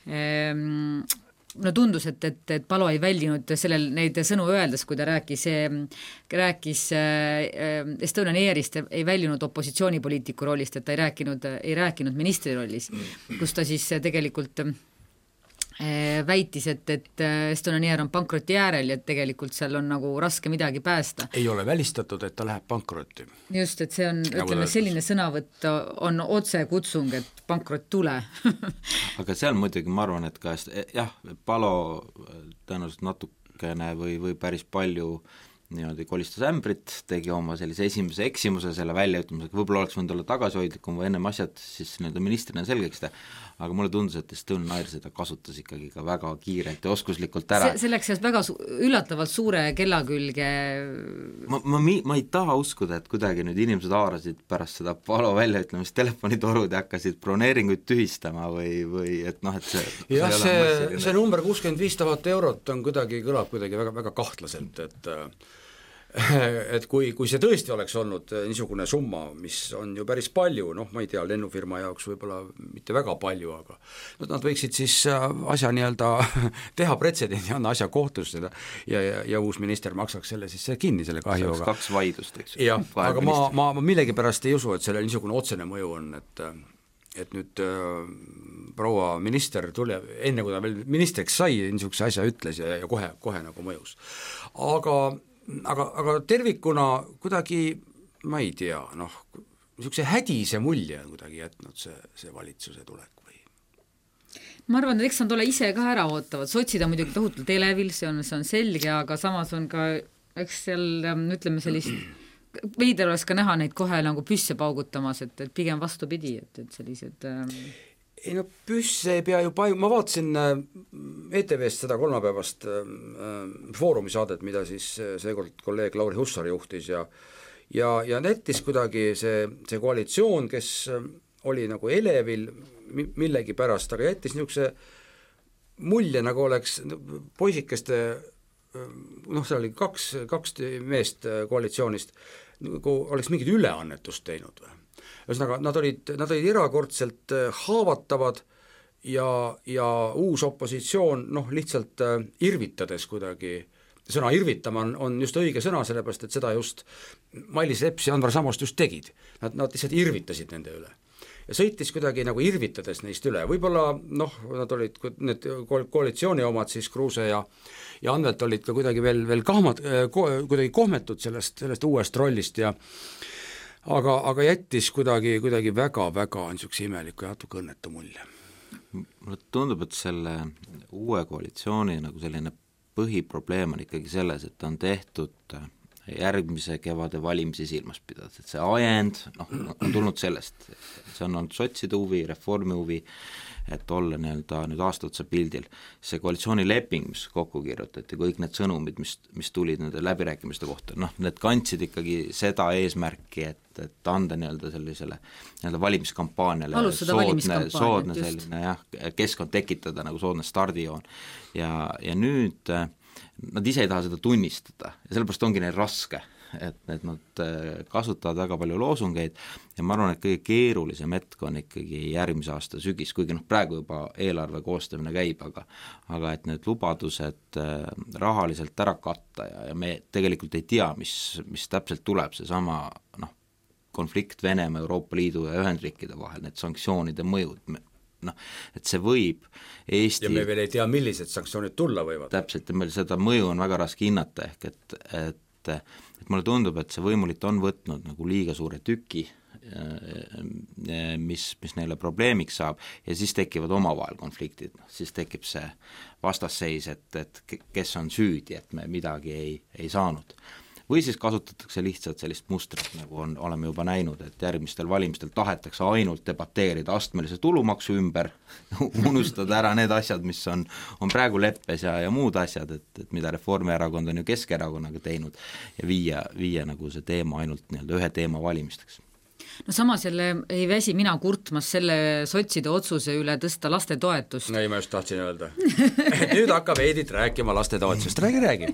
B: no tundus, et Palo ei väldinud neid sõnu öeldes, kui ta rääkis Estonian Airist, ei väljunud opositsioonipoliitiku rollist, et ta ei rääkinud ministri rollis, kus ta siis tegelikult väitis, et Estonian Air on pankroti äärel ja et tegelikult seal on nagu raske midagi päästa.
A: Ei ole välistatud, et ta läheb pankrotti.
B: Just, et see on, ütleme, selline sõnavõtt on otse kutsung, et pankrot tule.
C: Aga seal muidugi ma arvan, et ka jah, Palo tõenäoliselt natukene või päris palju niimoodi kolistas ämbrit, tegi oma sellise esimese eksimuse selle väljaütlemisega, võib-olla oleks võinud olla tagasihoidlikum või ennem asjad siis ministrina selgeks teha, aga mulle tundus, et Estonian Air seda kasutas ikkagi ka väga kiirelt ja oskuslikult ära.
B: See läks väga üllatavalt suure kella külge.
C: Ma ei taha uskuda, et kuidagi nüüd inimesed haarasid pärast seda Palo väljaütlemist telefonitorud ja hakkasid broneeringuid tühistama või et noh, et see
A: jah, see number 65 000 eurot on kõlab kuidagi väga, väga kahtlaselt, et kui see tõesti oleks olnud niisugune summa, mis on ju päris palju, noh ma ei tea, lennufirma jaoks võib-olla mitte väga palju, aga nad võiksid siis asja nii-öelda teha pretsedendi, anna asja kohtusse ja uus minister maksaks selle siis kinni, selle kahjuga.
C: 2 vaidlust, eks.
A: Jah, aga ma millegipärast ei usu, et selle niisugune otsene mõju on, et nüüd proua minister tuli, enne kui ta veel ministriks sai, niisuguse asja ütles ja kohe nagu mõjus. Aga tervikuna kuidagi, ma ei tea, niisuguse hädise mulje on kuidagi jätnud see valitsuse tulek või?
B: Ma arvan, et eks nad ole ise ka ära ootavad, sotsid on muidugi tohutult elevil, see on selge, aga samas on ka, eks seal ütleme sellist veider oleks ka näha neid kohe nagu püsse paugutamas, et pigem vastupidi, et sellised
A: ei no püsse ei pea ju ma vaatasin ETV-st seda kolmapäevast foorumisaadet, mida siis seekord kolleeg Lauri Hussar juhtis ja netis kuidagi see koalitsioon, kes oli nagu elevil millegi pärast, aga jättis niisuguse mulje, nagu oleks poisikeste, seal oli kaks meest koalitsioonist, nagu oleks mingit üleannetust teinud või. Ühesõnaga, nad olid erakordselt haavatavad ja uus opositsioon lihtsalt irvitades kuidagi, sõna irvitama on just õige sõna, sellepärast et seda just Mailis Reps ja Andvar Samost just tegid. Nad lihtsalt irvitasid nende üle. Ja sõitis kuidagi nagu irvitades neist üle. Võib-olla, nad olid need koalitsiooni omad, siis Kruuse ja Anvelt olid ka kuidagi veel kuidagi kohmetud sellest uuest rollist aga jättis kuidagi väga-väga niisuguse imeliku ja natuke õnnetu mulje.
C: Mulle tundub, et selle uue koalitsiooni nagu selline põhiprobleem on ikkagi selles, et on tehtud järgmise kevade valimisi silmas pidades, et see ajend on tulnud sellest, see on olnud sotside huvi, reformi huvi, et olla nüüd aasta otsa pildil. See koalitsioonileping, mis kokku kirjutati, kõik need sõnumid, mis tulid nende läbirääkimiste kohta, need kandsid ikkagi seda eesmärki, et anda sellisele valimiskampaaniale soodne selline keskkond tekitada nagu soodne stardijoon ja nüüd nad ise ei taha seda tunnistada ja sellepärast ongi neil raske, et nad kasutavad väga palju loosungeid ja ma arvan, et kõige keerulisem hetk on ikkagi järgmise aasta sügis, kuigi praegu juba eelarve koostamine käib, aga et need lubadused rahaliselt ära katta ja me tegelikult ei tea, mis täpselt tuleb, seesama konflikt Venemaa, Euroopa Liidu ja Ühendriikide vahel, need sanktsioonide mõjud, et see võib Eesti
A: ja me veel ei tea, millised sanktsioonid tulla võivad.
C: Täpselt, ja meil seda mõju on väga raske hinnata, ehk et mulle tundub, et see võimuliit on võtnud nagu liiga suure tüki, mis neile probleemiks saab, ja siis tekivad omavahel konfliktid, siis tekib see vastasseis, et kes on süüdi, et me midagi ei saanud. Või siis kasutatakse lihtsalt sellist mustrit, nagu oleme juba näinud, et järgmistel valimistel tahetakse ainult debateerida astmelise tulumaksu ümber, unustada ära need asjad, mis on praegu leppes ja muud asjad, et mida Reformierakond on ju Keskerakonnaga teinud, ja viia nagu see teema ainult nii-öelda ühe teema valimisteks.
B: No samas jälle ei väsi mina kurtmas selle sotside otsuse üle tõsta lastetoetust.
A: No ei, ma just tahtsin öelda. Nüüd hakkab Edith rääkima lastetoetusest, räägi.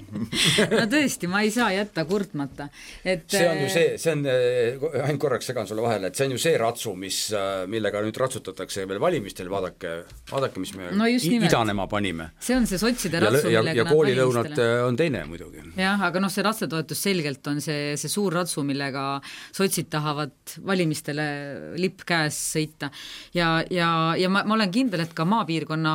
B: No tõesti, ma ei saa jätta kurtmata.
A: See on ju see on, ainult korraks segan sulle vahele, et see on ju see ratsu, millega nüüd ratsutatakse veel valimistel, vaadake mis me idanema panime.
B: See on see sotside ratsu,
A: ja koolilõunad on teine muidugi.
B: Jah, aga see lastetoetus selgelt on see suur ratsu, millega sotsid tahavad valimistele lipp käes sõita ja ma olen kindel, et ka maapiirkonna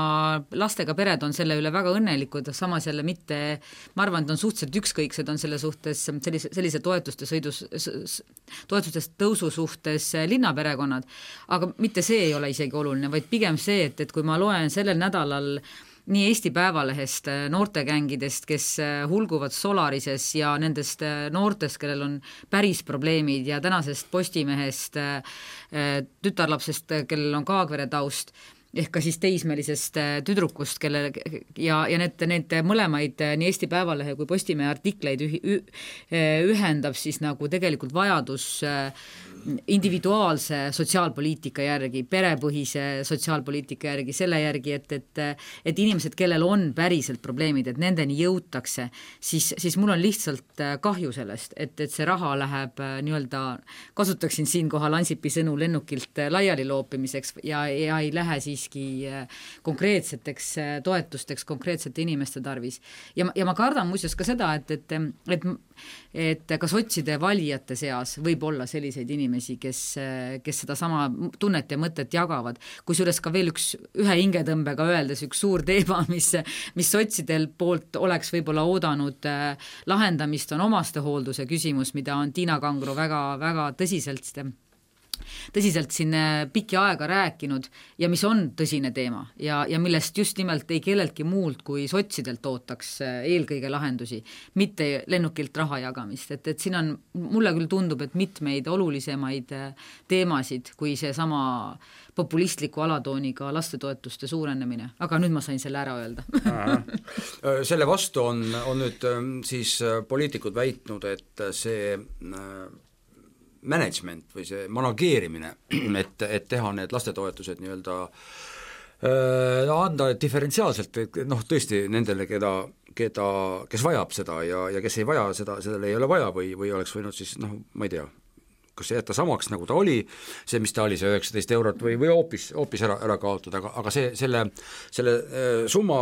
B: lastega pered on selle üle väga õnnelikud, samas jälle mitte, ma arvan, et on suhteliselt ükskõiksed on selle suhtes, sellise toetustest tõusu suhtes linnaperekonnad, aga mitte see ei ole isegi oluline, vaid pigem see, et kui ma loen sellel nädalal nii Eesti Päevalehest noortegängidest, kes hulguvad Solarises ja nendest noortest, kellel on päris probleemid ja tänasest Postimehest tütarlapsest, kellel on Kaagvere taust, ehk ka siis teismelisest tüdrukust, kelle ja need mõlemaid nii Eesti Päevalehe kui Postimehe artikleid ühendab siis nagu tegelikult vajadus individuaalse sotsiaalpoliitika järgi, perepõhise sotsiaalpoliitika järgi, selle järgi, et inimesed, kellel on päriselt probleemid, et nendeni jõutakse, siis mul on lihtsalt kahju sellest, et see raha läheb nii-öelda, kasutaksin siinkohal Ansipi sõnu lennukilt laiali loopimiseks ja ei lähe siiski konkreetseteks toetusteks konkreetsete inimeste tarvis. Ja ma kardan muuseas ka seda, et ka sotside valijate seas võib olla selliseid inimesi, kes seda sama tunnet ja mõtet jagavad. Kusjuures ka veel ühe hingetõmbega öeldes üks suur teema, mis sotsidel poolt oleks võib-olla oodanud lahendamist, on omastehoolduse küsimus, mida on Tiina Kangro väga tõsiselt siin pikki aega rääkinud ja mis on tõsine teema ja millest just nimelt ei kelleltki muult kui sotsidelt ootaks eelkõige lahendusi, mitte lennukilt raha jagamist, et siin on, mulle küll tundub, et mitmeid olulisemaid teemasid kui see sama populistliku alatooniga lastetoetuste suurenemine, aga nüüd ma sain selle ära öelda.
A: Selle vastu on nüüd siis poliitikud väitnud, et see management või see manageerimine, et teha need lastetoetused nii-öelda anda diferentsiaalselt, tõesti nendele, kes vajab seda ja kes ei vaja seda, sellele ei ole vaja või oleks võinud siis, ma ei tea, kas jätta samaks, nagu ta oli, see, mis ta oli, see 19 eurot või hoopis ära kaotada, aga selle summa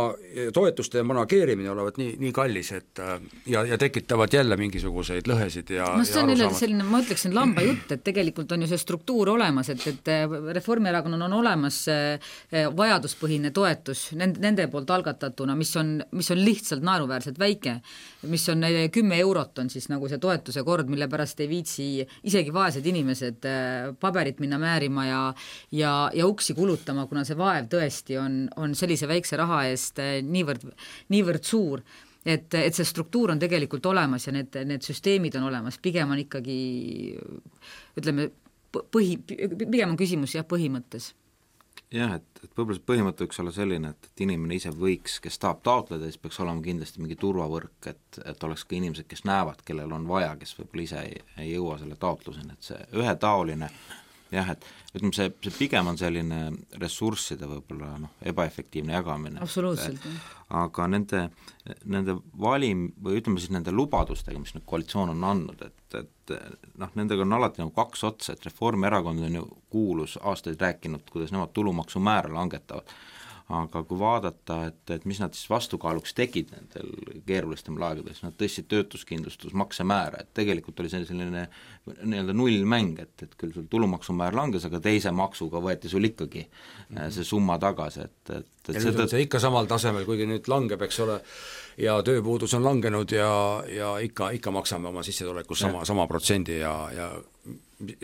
A: toetuste manageerimine olevat nii kallis, et ja tekitavad jälle mingisuguseid lõhesid ja
B: see on selline, ma ütleksin lamba jutt, et tegelikult on ju see struktuur olemas, et Reformierakonnal on olemas vajaduspõhine toetus nende poolt algatatuna, mis on lihtsalt naeruväärselt väike, mis on 10 eurot on siis nagu see toetuse kord, mille pärast ei viitsi isegi vaesed inimesed paberit minna määrima ja uksi kulutama, kuna see vaev tõesti on sellise väikse raha eest niivõrd suur, et see struktuur on tegelikult olemas ja need süsteemid on olemas, pigem on ikkagi, ütleme, pigem on küsimus põhimõttes.
C: Jah, et võib-olla see põhimõte võiks olla selline, et inimene ise võiks, kes tahab taotleda, siis peaks olema kindlasti mingi turvavõrk, et oleks ka inimesed, kes näevad, kellel on vaja, kes võib-olla ise ei jõua selle taotluseni, et see ühetaoline, jah, et ütleme, see pigem on selline ressursside võib-olla ebaefektiivne jagamine.
B: Absoluutselt.
C: Aga nende või ütleme siis nende lubadustega, mis nüüd koalitsioon on andnud, et nendega on alati nagu kaks otsa, et Reformierakond on ju kuulus aastaid rääkinud, kuidas nemad tulumaksu määra langetavad. aga kui vaadata, et mis nad siis vastukaaluks tegid nendel keerulistel aegadel, nad tõstsid töötuskindlustusmaksemäära, et tegelikult oli selline nii-öelda nullmäng, et küll sul tulumaksumäär langes, aga teise maksuga võeti sul ikkagi see summa tagasi, et
A: ja nüüd on see ikka samal tasemel, kuigi nüüd langeb, eks ole, ja tööpuudus on langenud ja ikka maksame oma sissetulekus sama protsendi ja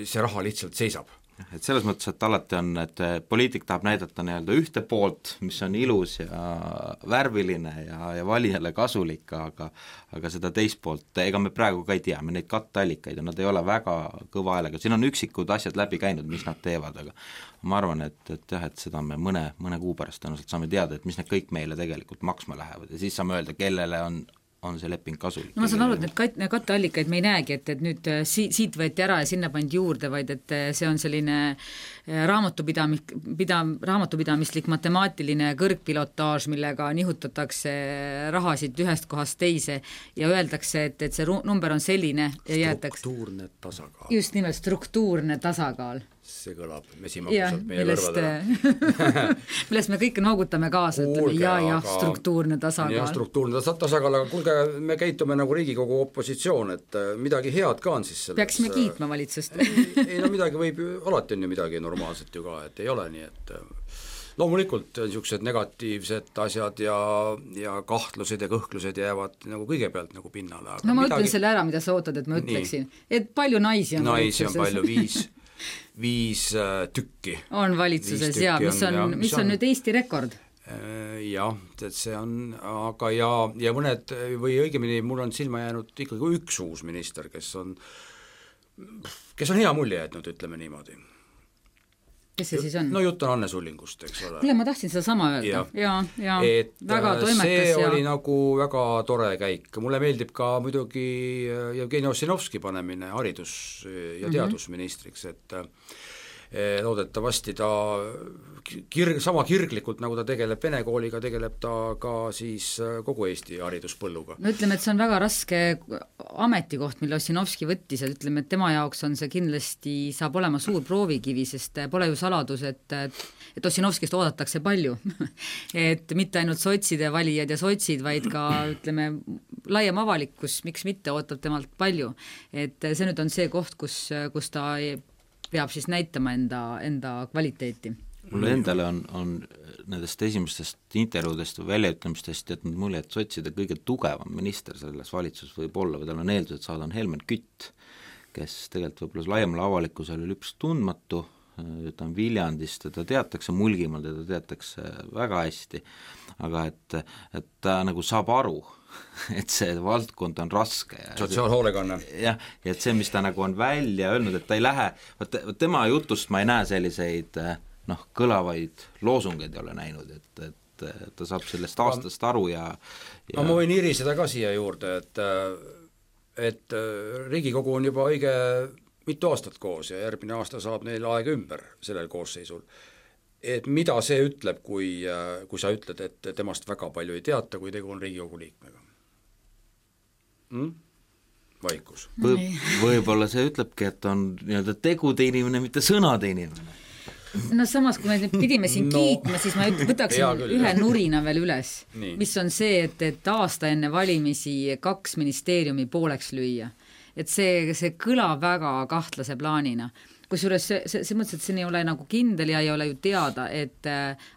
A: see raha lihtsalt seisab.
C: Et selles mõttes, et alati on, et poliitik tahab näidata nii-öelda ühte poolt, mis on ilus ja värviline ja valijale kasulik, aga seda teist poolt, ega me praegu ka ei tea, me neid katteallikaid ja nad ei ole väga kõva häälega, siin on üksikud asjad läbi käinud, mis nad teevad, aga ma arvan, et jah, et seda me mõne kuu pärast tõenäoliselt saame teada, et mis need kõik meile tegelikult maksma lähevad ja siis saame öelda, kellele on see leping kasulik.
B: No ma saan aru, et need katteallikaid me ei näegi, et nüüd siit võeti ära ja sinna pandi juurde, vaid et see on selline raamatupidamislik matemaatiline kõrgpilotaaž, millega nihutatakse rahasid ühest kohast teise ja öeldakse, et see number on selline ja jäetakse
A: struktuurne tasakaal.
B: Just nimelt struktuurne tasakaal.
A: See kõlab mesimakuselt meie kõrvadele.
B: Millest me kõik noogutame kaasa, ütleme struktuurne tasakaal.
A: Ja struktuurne tasakaal, aga kuulge, me käitume nagu Riigikogu opositsioon, et midagi head ka on siis selles.
B: Peaksime kiitma valitsust.
A: Ei no midagi võib, alati on ju midagi normaalset ju ka, et ei ole nii, et loomulikult niisugused negatiivsed asjad ja kahtlused ja kõhklused jäävad nagu kõigepealt nagu pinnale. Aga
B: no ma ütlen selle ära, mida sa ootad, et ma ütleksin. Et palju naisi on
A: valitsuses. Naisi on palju, viis tükki.
B: On valitsuses ja mis on nüüd Eesti rekord?
A: Jah, et see on, aga ja mõned, või õigemini mul on silma jäänud ikkagi üks uus minister, kes on hea mulje jätnud, ütleme niimoodi.
B: Kes see siis on?
A: No jutt on Anne Sullingust, eks ole.
B: Kuule, ma tahtsin seda sama öelda. Ja väga toimekas.
A: See oli nagu väga tore käik. Mulle meeldib ka muidugi Jevgeni Ossinovski panemine haridus- ja teadusministriks, et loodetavasti ta sama kirglikult, nagu ta tegeleb Vene kooliga, tegeleb ta ka siis kogu Eesti hariduspõlluga.
B: No ütleme, et see on väga raske ametikoht, mille Ossinovski võttis, ja ütleme, et tema jaoks on see kindlasti, saab olema suur proovikivi, sest pole ju saladus, et Ossinovskist oodatakse palju et mitte ainult sotside valijad ja sotsid, vaid ka ütleme, laiem avalikkus, miks mitte, ootab temalt palju. Et see nüüd on see koht, kus ta peab siis näitama enda kvaliteeti.
C: Mulle endale on nendest esimestest intervjuudest või väljaütlemistest jätnud mulje, et sotside kõige tugevam minister selles valitsus võib olla, või tal on eeldused saada, on Helmen Kütt, kes tegelikult võib-olla laiemale avalikkusele oli üks tundmatu, ta on Viljandist, teda teatakse Mulgimaal, teda teatakse väga hästi, aga et ta nagu saab aru, et see valdkond on raske.
A: Sotsiaalhoolekanne.
C: Jah, ja et see, mis ta nagu on välja öelnud, et ta ei lähe, tema jutust ma ei näe selliseid kõlavaid loosungeid ei ole näinud, et ta saab sellest aastast aru ja
A: no ma võin iriseda ka siia juurde, et Riigikogu on juba õige mitu aastat koos ja järgmine aasta saab neil aeg ümber sellel koosseisul. Et mida see ütleb, kui sa ütled, et temast väga palju ei teata, kui tegu on Riigikogu liikmega? Vaikus.
C: Võib-olla see ütlebki, et on nii-öelda tegude inimene, mitte sõnade inimene.
B: No samas, kui me pidime siin kiitma, siis ma võtaksin ühe nurina veel üles, mis on see, et aasta enne valimisi 2 ministeeriumi pooleks lüüa. Et see kõlab väga kahtlase plaanina. Kusjuures see mõttes, et see ei ole nagu kindel ja ei ole ju teada, et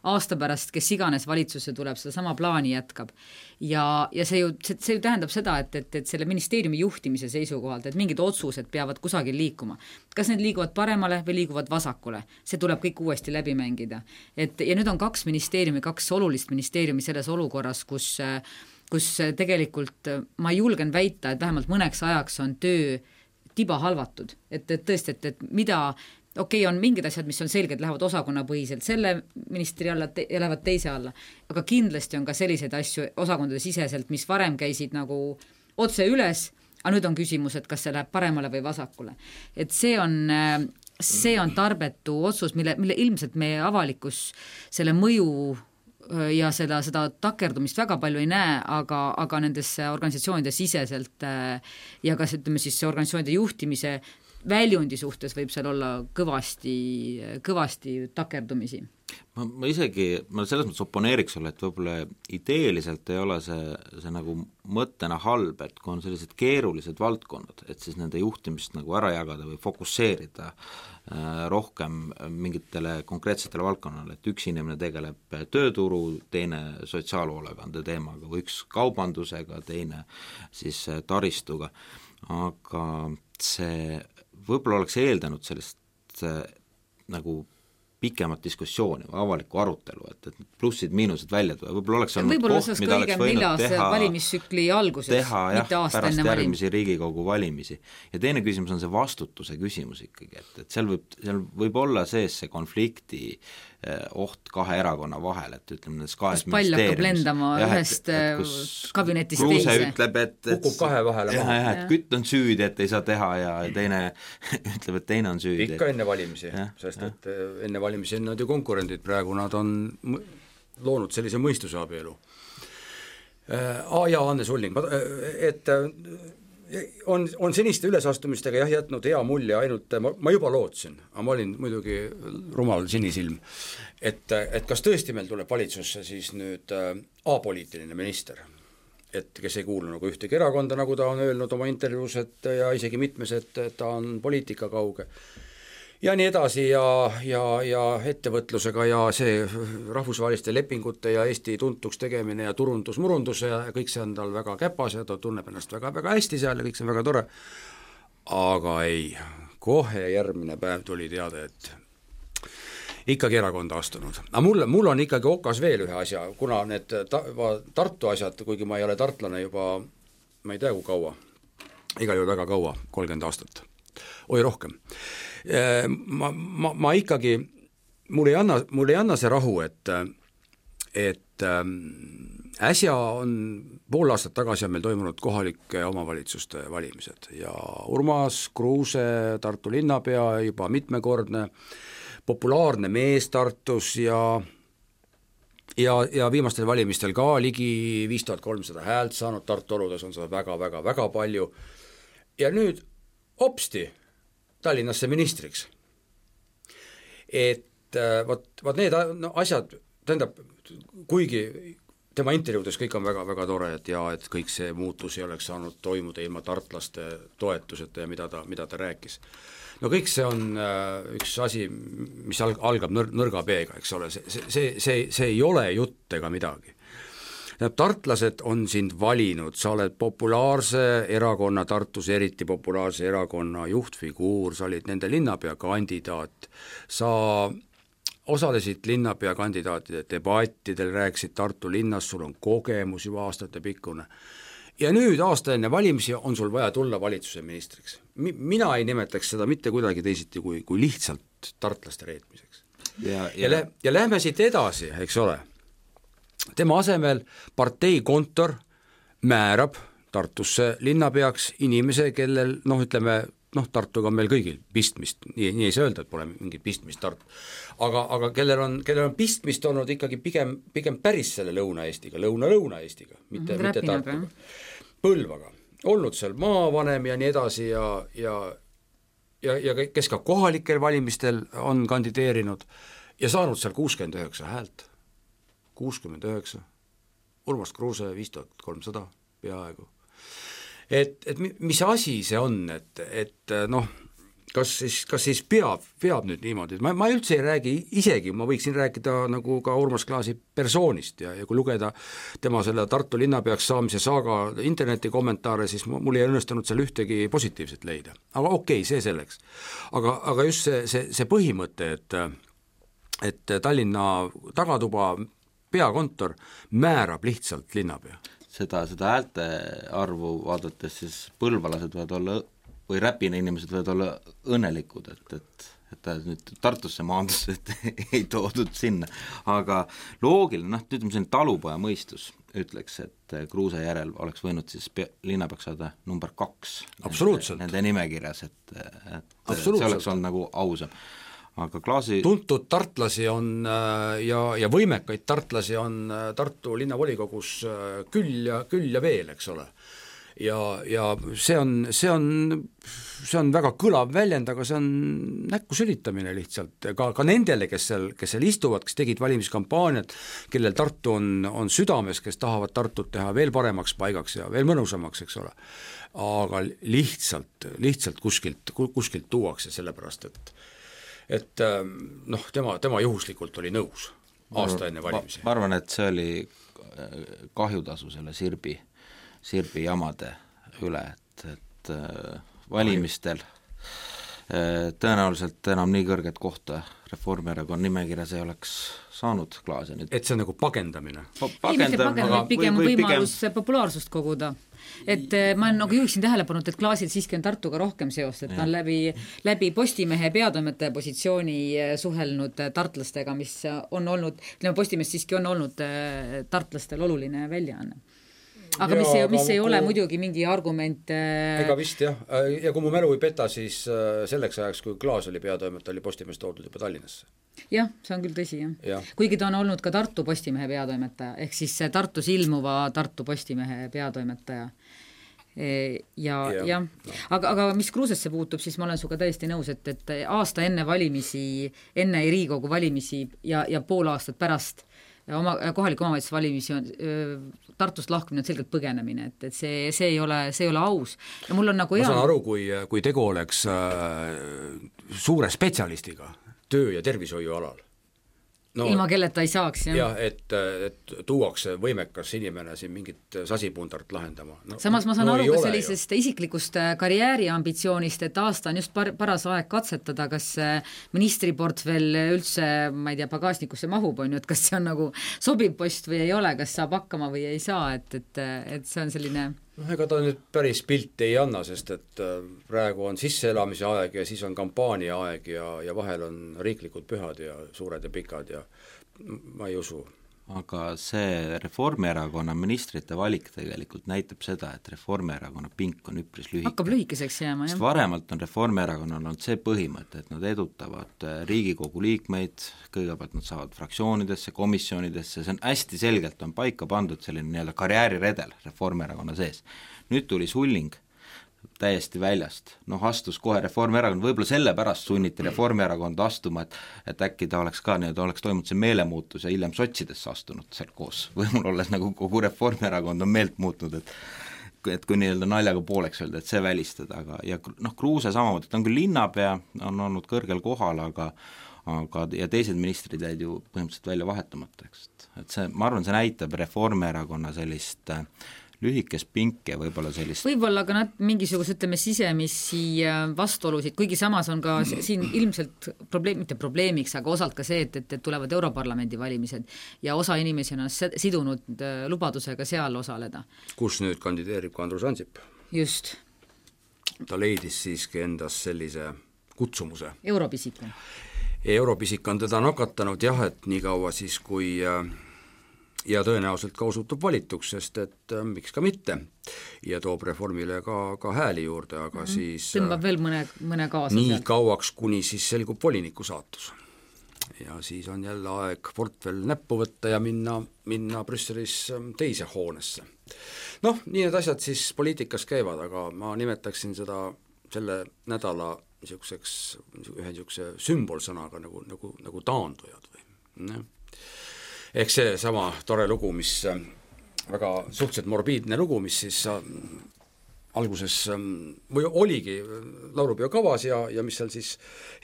B: aasta pärast, kes iganes valitsusse tuleb, seda sama plaani jätkab. Ja see ju tähendab seda, et selle ministeeriumi juhtimise seisukohalt, et mingid otsused peavad kusagil liikuma. Kas need liiguvad paremale või liiguvad vasakule? See tuleb kõik uuesti läbi mängida. Ja nüüd on 2 ministeeriumi, 2 olulist ministeeriumi selles olukorras, kus tegelikult ma julgen väita, et vähemalt mõneks ajaks on töö tiba halvatud, et tõesti, et mida, on mingid asjad, mis on selged, lähevad osakonnapõhiselt selle ministri alla ja lähevad teise alla, aga kindlasti on ka selliseid asju osakondade siseselt, mis varem käisid nagu otse üles, aga nüüd on küsimus, et kas see läheb paremale või vasakule. Et see on tarbetu otsus, mille ilmselt meie avalikkus selle mõju ja seda takerdumist väga palju ei näe, aga nendes organisatsioonide siseselt ja kas ütleme siis organisatsioonide juhtimise väljundi suhtes võib seal olla kõvasti takerdumisi.
C: Ma selles mõttes oponeeriks sulle, et võib-olla ideeliselt ei ole see nagu mõttena halb, et kui on sellised keerulised valdkonnad, et siis nende juhtimist nagu ära jagada või fokusseerida rohkem mingitele konkreetsetele valdkonnale, et üks inimene tegeleb tööturu, teine sotsiaalhoolekande teemaga või üks kaubandusega, teine siis taristuga, aga see võib-olla oleks eeldanud sellist nagu pikemat diskussiooni või avalikku arutelu, et plussid-miinused välja tuua, võib-olla oleks olnud koht, mida oleks võinud teha
B: valimistsükli alguses, mitte aasta
C: pärast
B: enne
C: järgmisi Riigikogu valimisi. Ja teine küsimus on see vastutuse küsimus ikkagi, et seal võib olla sees see konflikti oht kahe erakonna vahel, et ütleme nendes kahes
B: pall hakkab lendama ühest kabinetist
C: Kruuse
B: teise.
C: ütleb, et
A: kukub kahe vahele maha.
C: et Kütt on süüdi, et ei saa teha ja teine ütleb, et teine on süüdi.
A: Ikka enne valimisi, sest et enne valimisi on nad ju konkurendid, praegu nad on loonud sellise mõistuse abielu. Ja Anne Sulling, et on seniste ülesastumistega jätnud hea mulje ainult, ma juba lootsin, aga ma olin muidugi rumal sinisilm, et kas tõesti meil tuleb valitsusse siis nüüd apoliitiline minister, et kes ei kuulu nagu ühtegi erakonda, nagu ta on öelnud oma intervjuus, et ja isegi mitmes, et ta on poliitika kauge ja nii edasi ja ettevõtlusega ja see rahvusvaheliste lepingute ja Eesti tuntuks tegemine ja turundus-murundus ja kõik see on tal väga käpas ja ta tunneb ennast väga-väga hästi seal ja kõik see on väga tore, aga ei, kohe järgmine päev tuli teade, et ikkagi erakonda astunud. Aga mul on ikkagi okas veel ühe asja, kuna need Tartu asjad, kuigi ma ei ole tartlane juba, ma ei tea kui kaua, igal juhul väga kaua, 30 aastat, rohkem. Ma ikkagi, mul ei anna see rahu, et äsja on pool aastat tagasi on meil toimunud kohalike omavalitsuste valimised ja Urmas Kruuse, Tartu linnapea, juba mitmekordne populaarne mees Tartus ja viimastel valimistel ka ligi 5300 häält saanud, Tartu oludes on seda väga palju ja nüüd hopsti Tallinnasse ministriks. Et võt need asjad, tähendab, kuigi tema intervjuudes kõik on väga tore, et kõik see muutus ei oleks saanud toimuda ilma tartlaste toetuseta ja mida ta rääkis. No kõik see on üks asi, mis algab nõrga peega, eks ole, see ei ole jutt ega midagi. Tartlased on sind valinud, sa oled populaarse erakonna, Tartus eriti populaarse erakonna juhtfiguur, sa olid nende linnapea kandidaat, sa osalesid linnapea kandidaatide debattidel, rääkisid Tartu linnas, sul on kogemus juba aastate pikkune. Ja nüüd aasta enne valimisi on sul vaja tulla valitsuse ministriks. Mina ei nimetaks seda mitte kuidagi teisiti kui lihtsalt tartlaste reetmiseks. Ja lähme siit edasi, eks ole. Tema asemel partei kontor määrab Tartusse linnapeaks inimese, kellel, Tartuga on meil kõigil pistmist, nii ei saa öelda, et pole mingit pistmist Tartu, aga kellel on pistmist olnud ikkagi pigem päris selle Lõuna-Eestiga, Lõuna-Eestiga, mitte Tartuga, Põlvaga, olnud seal maavanem ja nii edasi ja kes ka kohalikel valimistel on kandideerinud ja saanud seal 69 häält. 69, Urmas Kruuse 5300 peaaegu. Et mis asi see on, et kas siis peab nüüd niimoodi, ma üldse ei räägi, isegi ma võiksin rääkida nagu ka Urmas Klaasi persoonist ja kui lugeda tema selle Tartu linnapeaks saamise saaga interneti kommentaare, siis mul ei õnnestunud seal ühtegi positiivset leida, aga okei, see selleks. Aga just see põhimõte, et Tallinna tagatuba peakontor määrab lihtsalt linnapea.
C: Seda häälte arvu vaadates siis põlvalased võivad olla või räpina inimesed võivad olla õnnelikud, et ta nüüd Tartusse maandus, et ei toodud sinna, aga loogiline, ütleme selline talupoja mõistus ütleks, et Kruuse järel oleks võinud siis linnapeaks saada number 2 nende nimekirjas, et see oleks olnud nagu ausam. Aga Klaasi
A: tuntud tartlasi on ja võimekaid tartlasi on Tartu linnavolikogus küll ja veel, eks ole. ja see on väga kõlav väljend, aga see on näkku sülitamine lihtsalt ka nendele, kes seal istuvad, kes tegid valimiskampaaniat, kellel Tartu on südames, kes tahavad Tartut teha veel paremaks paigaks ja veel mõnusamaks, eks ole. Aga lihtsalt kuskilt tuuakse sellepärast, et noh, tema juhuslikult oli nõus aasta enne valimisi.
C: Ma arvan, et see oli kahjutasu selle Sirbi jamade üle, et valimistel tõenäoliselt enam nii kõrget kohta Reformierakonna nimekirjas ei oleks saanud Klaase nüüd.
A: Et see on nagu pagendamine?
B: Ei, mitte pagendamine, pigem võimalus populaarsust koguda. Et ma nagu juhiksin tähelepannud, et Klaasil siiski on Tartuga rohkem seost, et ta on läbi Postimehe peatoimetaja positsiooni suhelnud tartlastega, mis on olnud, Postimees siiski on olnud tartlastel oluline väljaanne. Aga mis ei ole muidugi mingi argument
A: Ega vist jah, ja kui mu mälu ei peta, siis selleks ajaks, kui Klaas oli peatoimetaja, oli Postimees toodud juba Tallinnasse.
B: Jah, see on küll tõsi, jah. Kuigi ta on olnud ka Tartu Postimehe peatoimetaja, ehk siis Tartus ilmuva Tartu Postimehe peatoimetaja. Aga mis Kruusesse puutub, siis ma olen suga täiesti nõus, et aasta enne valimisi, enne Riigikogu valimisi ja pool aastat pärast kohaliku omavalitsuse valimisi on Tartust lahkumine on selgelt põgenemine, et see ei ole aus. Ja mul on nagu
A: ma saan aru, kui tegu oleks suure spetsialistiga töö- ja tervishoiu alal. No,
B: ilma kelleta ei saaks, jah.
A: Jah, et tuuakse võimekas inimene siin mingit sasipundart lahendama. No,
B: samas ma saan aru ka sellisest isiklikust karjääriambitsioonist, et aasta on just paras aeg katsetada, kas ministriportfell üldse, ma ei tea, pagasnikusse mahub, on ju, et kas see on nagu sobiv post või ei ole, kas saab hakkama või ei saa, et see on selline...
A: Ega ta nüüd päris pilti ei anna, sest et praegu on sisseelamise aeg ja siis on kampaania aeg ja vahel on riiklikud pühad ja suured ja pikad ja ma ei usu.
C: Aga see Reformierakonna ministrite valik tegelikult näitab seda, et Reformierakonna pink on üpris lühike.
B: Hakkab lühikeseks jääma, jah.
C: Sest varemalt on Reformierakonnal olnud see põhimõte, et nad edutavad Riigikogu liikmeid, kõigepealt nad saavad fraktsioonidesse, komisjonidesse, see on hästi selgelt on paika pandud selline nii-öelda karjääriredel Reformierakonna sees. Nüüd tuli sulling täiesti väljast, astus kohe Reformierakond, võib-olla selle pärast sunniti Reformierakonda astuma, et äkki ta oleks ka oleks toimunud see meelemuutus ja hiljem sotsidesse astunud seal koos, võimul olles nagu kogu Reformierakond on meelt muutnud, et kui nii-öelda naljaga pooleks öelda, et see välistada, aga ja Kruuse samamoodi, ta on küll linnapea, on olnud kõrgel kohal, aga ja teised ministrid jäid ju põhimõtteliselt välja vahetamata, et see, ma arvan, see näitab Reformierakonna sellist lühikest pink ja võib-olla sellist... Võib-olla
B: ka mingisuguse, ütleme, sisemisi vastuolusid, kuigi samas on ka siin ilmselt mitte probleemiks, aga osalt ka see, et tulevad Europarlamendi valimised ja osa inimesi on sidunud lubadusega seal osaleda.
A: Kus nüüd kandideerib ka Andrus Ansip?
B: Just.
A: Ta leidis siiski endas sellise kutsumuse.
B: Europisik
A: on teda nakatanud jah, et nii kaua siis, kui... ja tõenäoliselt ka osutub valituks, sest et miks ka mitte ja toob Reformile ka hääli juurde, aga siis
B: tõmbab veel mõne kaasa
A: nii kauaks, kuni siis selgub voliniku saatus. Ja siis on jälle aeg portfell näppu võtta ja minna Brüsselis teise hoonesse. Nii need asjad siis poliitikas käivad, aga ma nimetaksin selle nädala ühe niisuguse sümbolsõnaga nagu taandujad või ehk see sama tore lugu, mis väga suhteliselt morbiidne lugu, mis siis alguses või oligi laulupeo kavas ja mis seal siis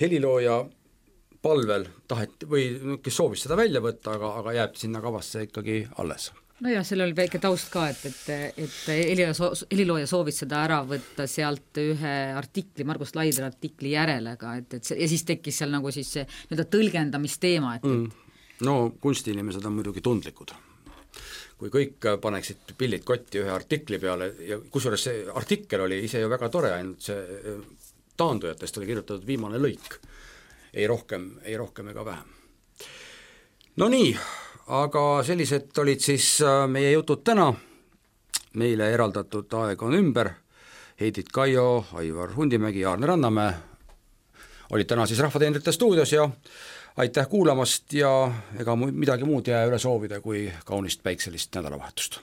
A: helilooja palvel taheti või kes soovis seda välja võtta, aga jääb sinna kavasse ikkagi alles.
B: Nojah, sellel oli väike taust ka, et helilooja soovis seda ära võtta sealt ühe artikli, Margus Laidre artikli järele, ja siis tekkis seal nagu siis see tõlgendamisteema,
A: No kunstiinimesed on muidugi tundlikud. Kui kõik paneksid pillid kotti ühe artikli peale ja kusjuures see artikkel oli ise ju väga tore, ainult see taandujatest oli kirjutatud viimane lõik. Ei rohkem ega vähem. No nii, aga sellised olid siis meie jutud täna. Meile eraldatud aeg on ümber. Heidit Kaio, Aivar Hundimägi, Aarne Rannamäe olid täna siis Rahvateenrite stuudios ja aitäh kuulamast ja ega midagi muud jää üle soovida kui kaunist päikselist nädalavahetust.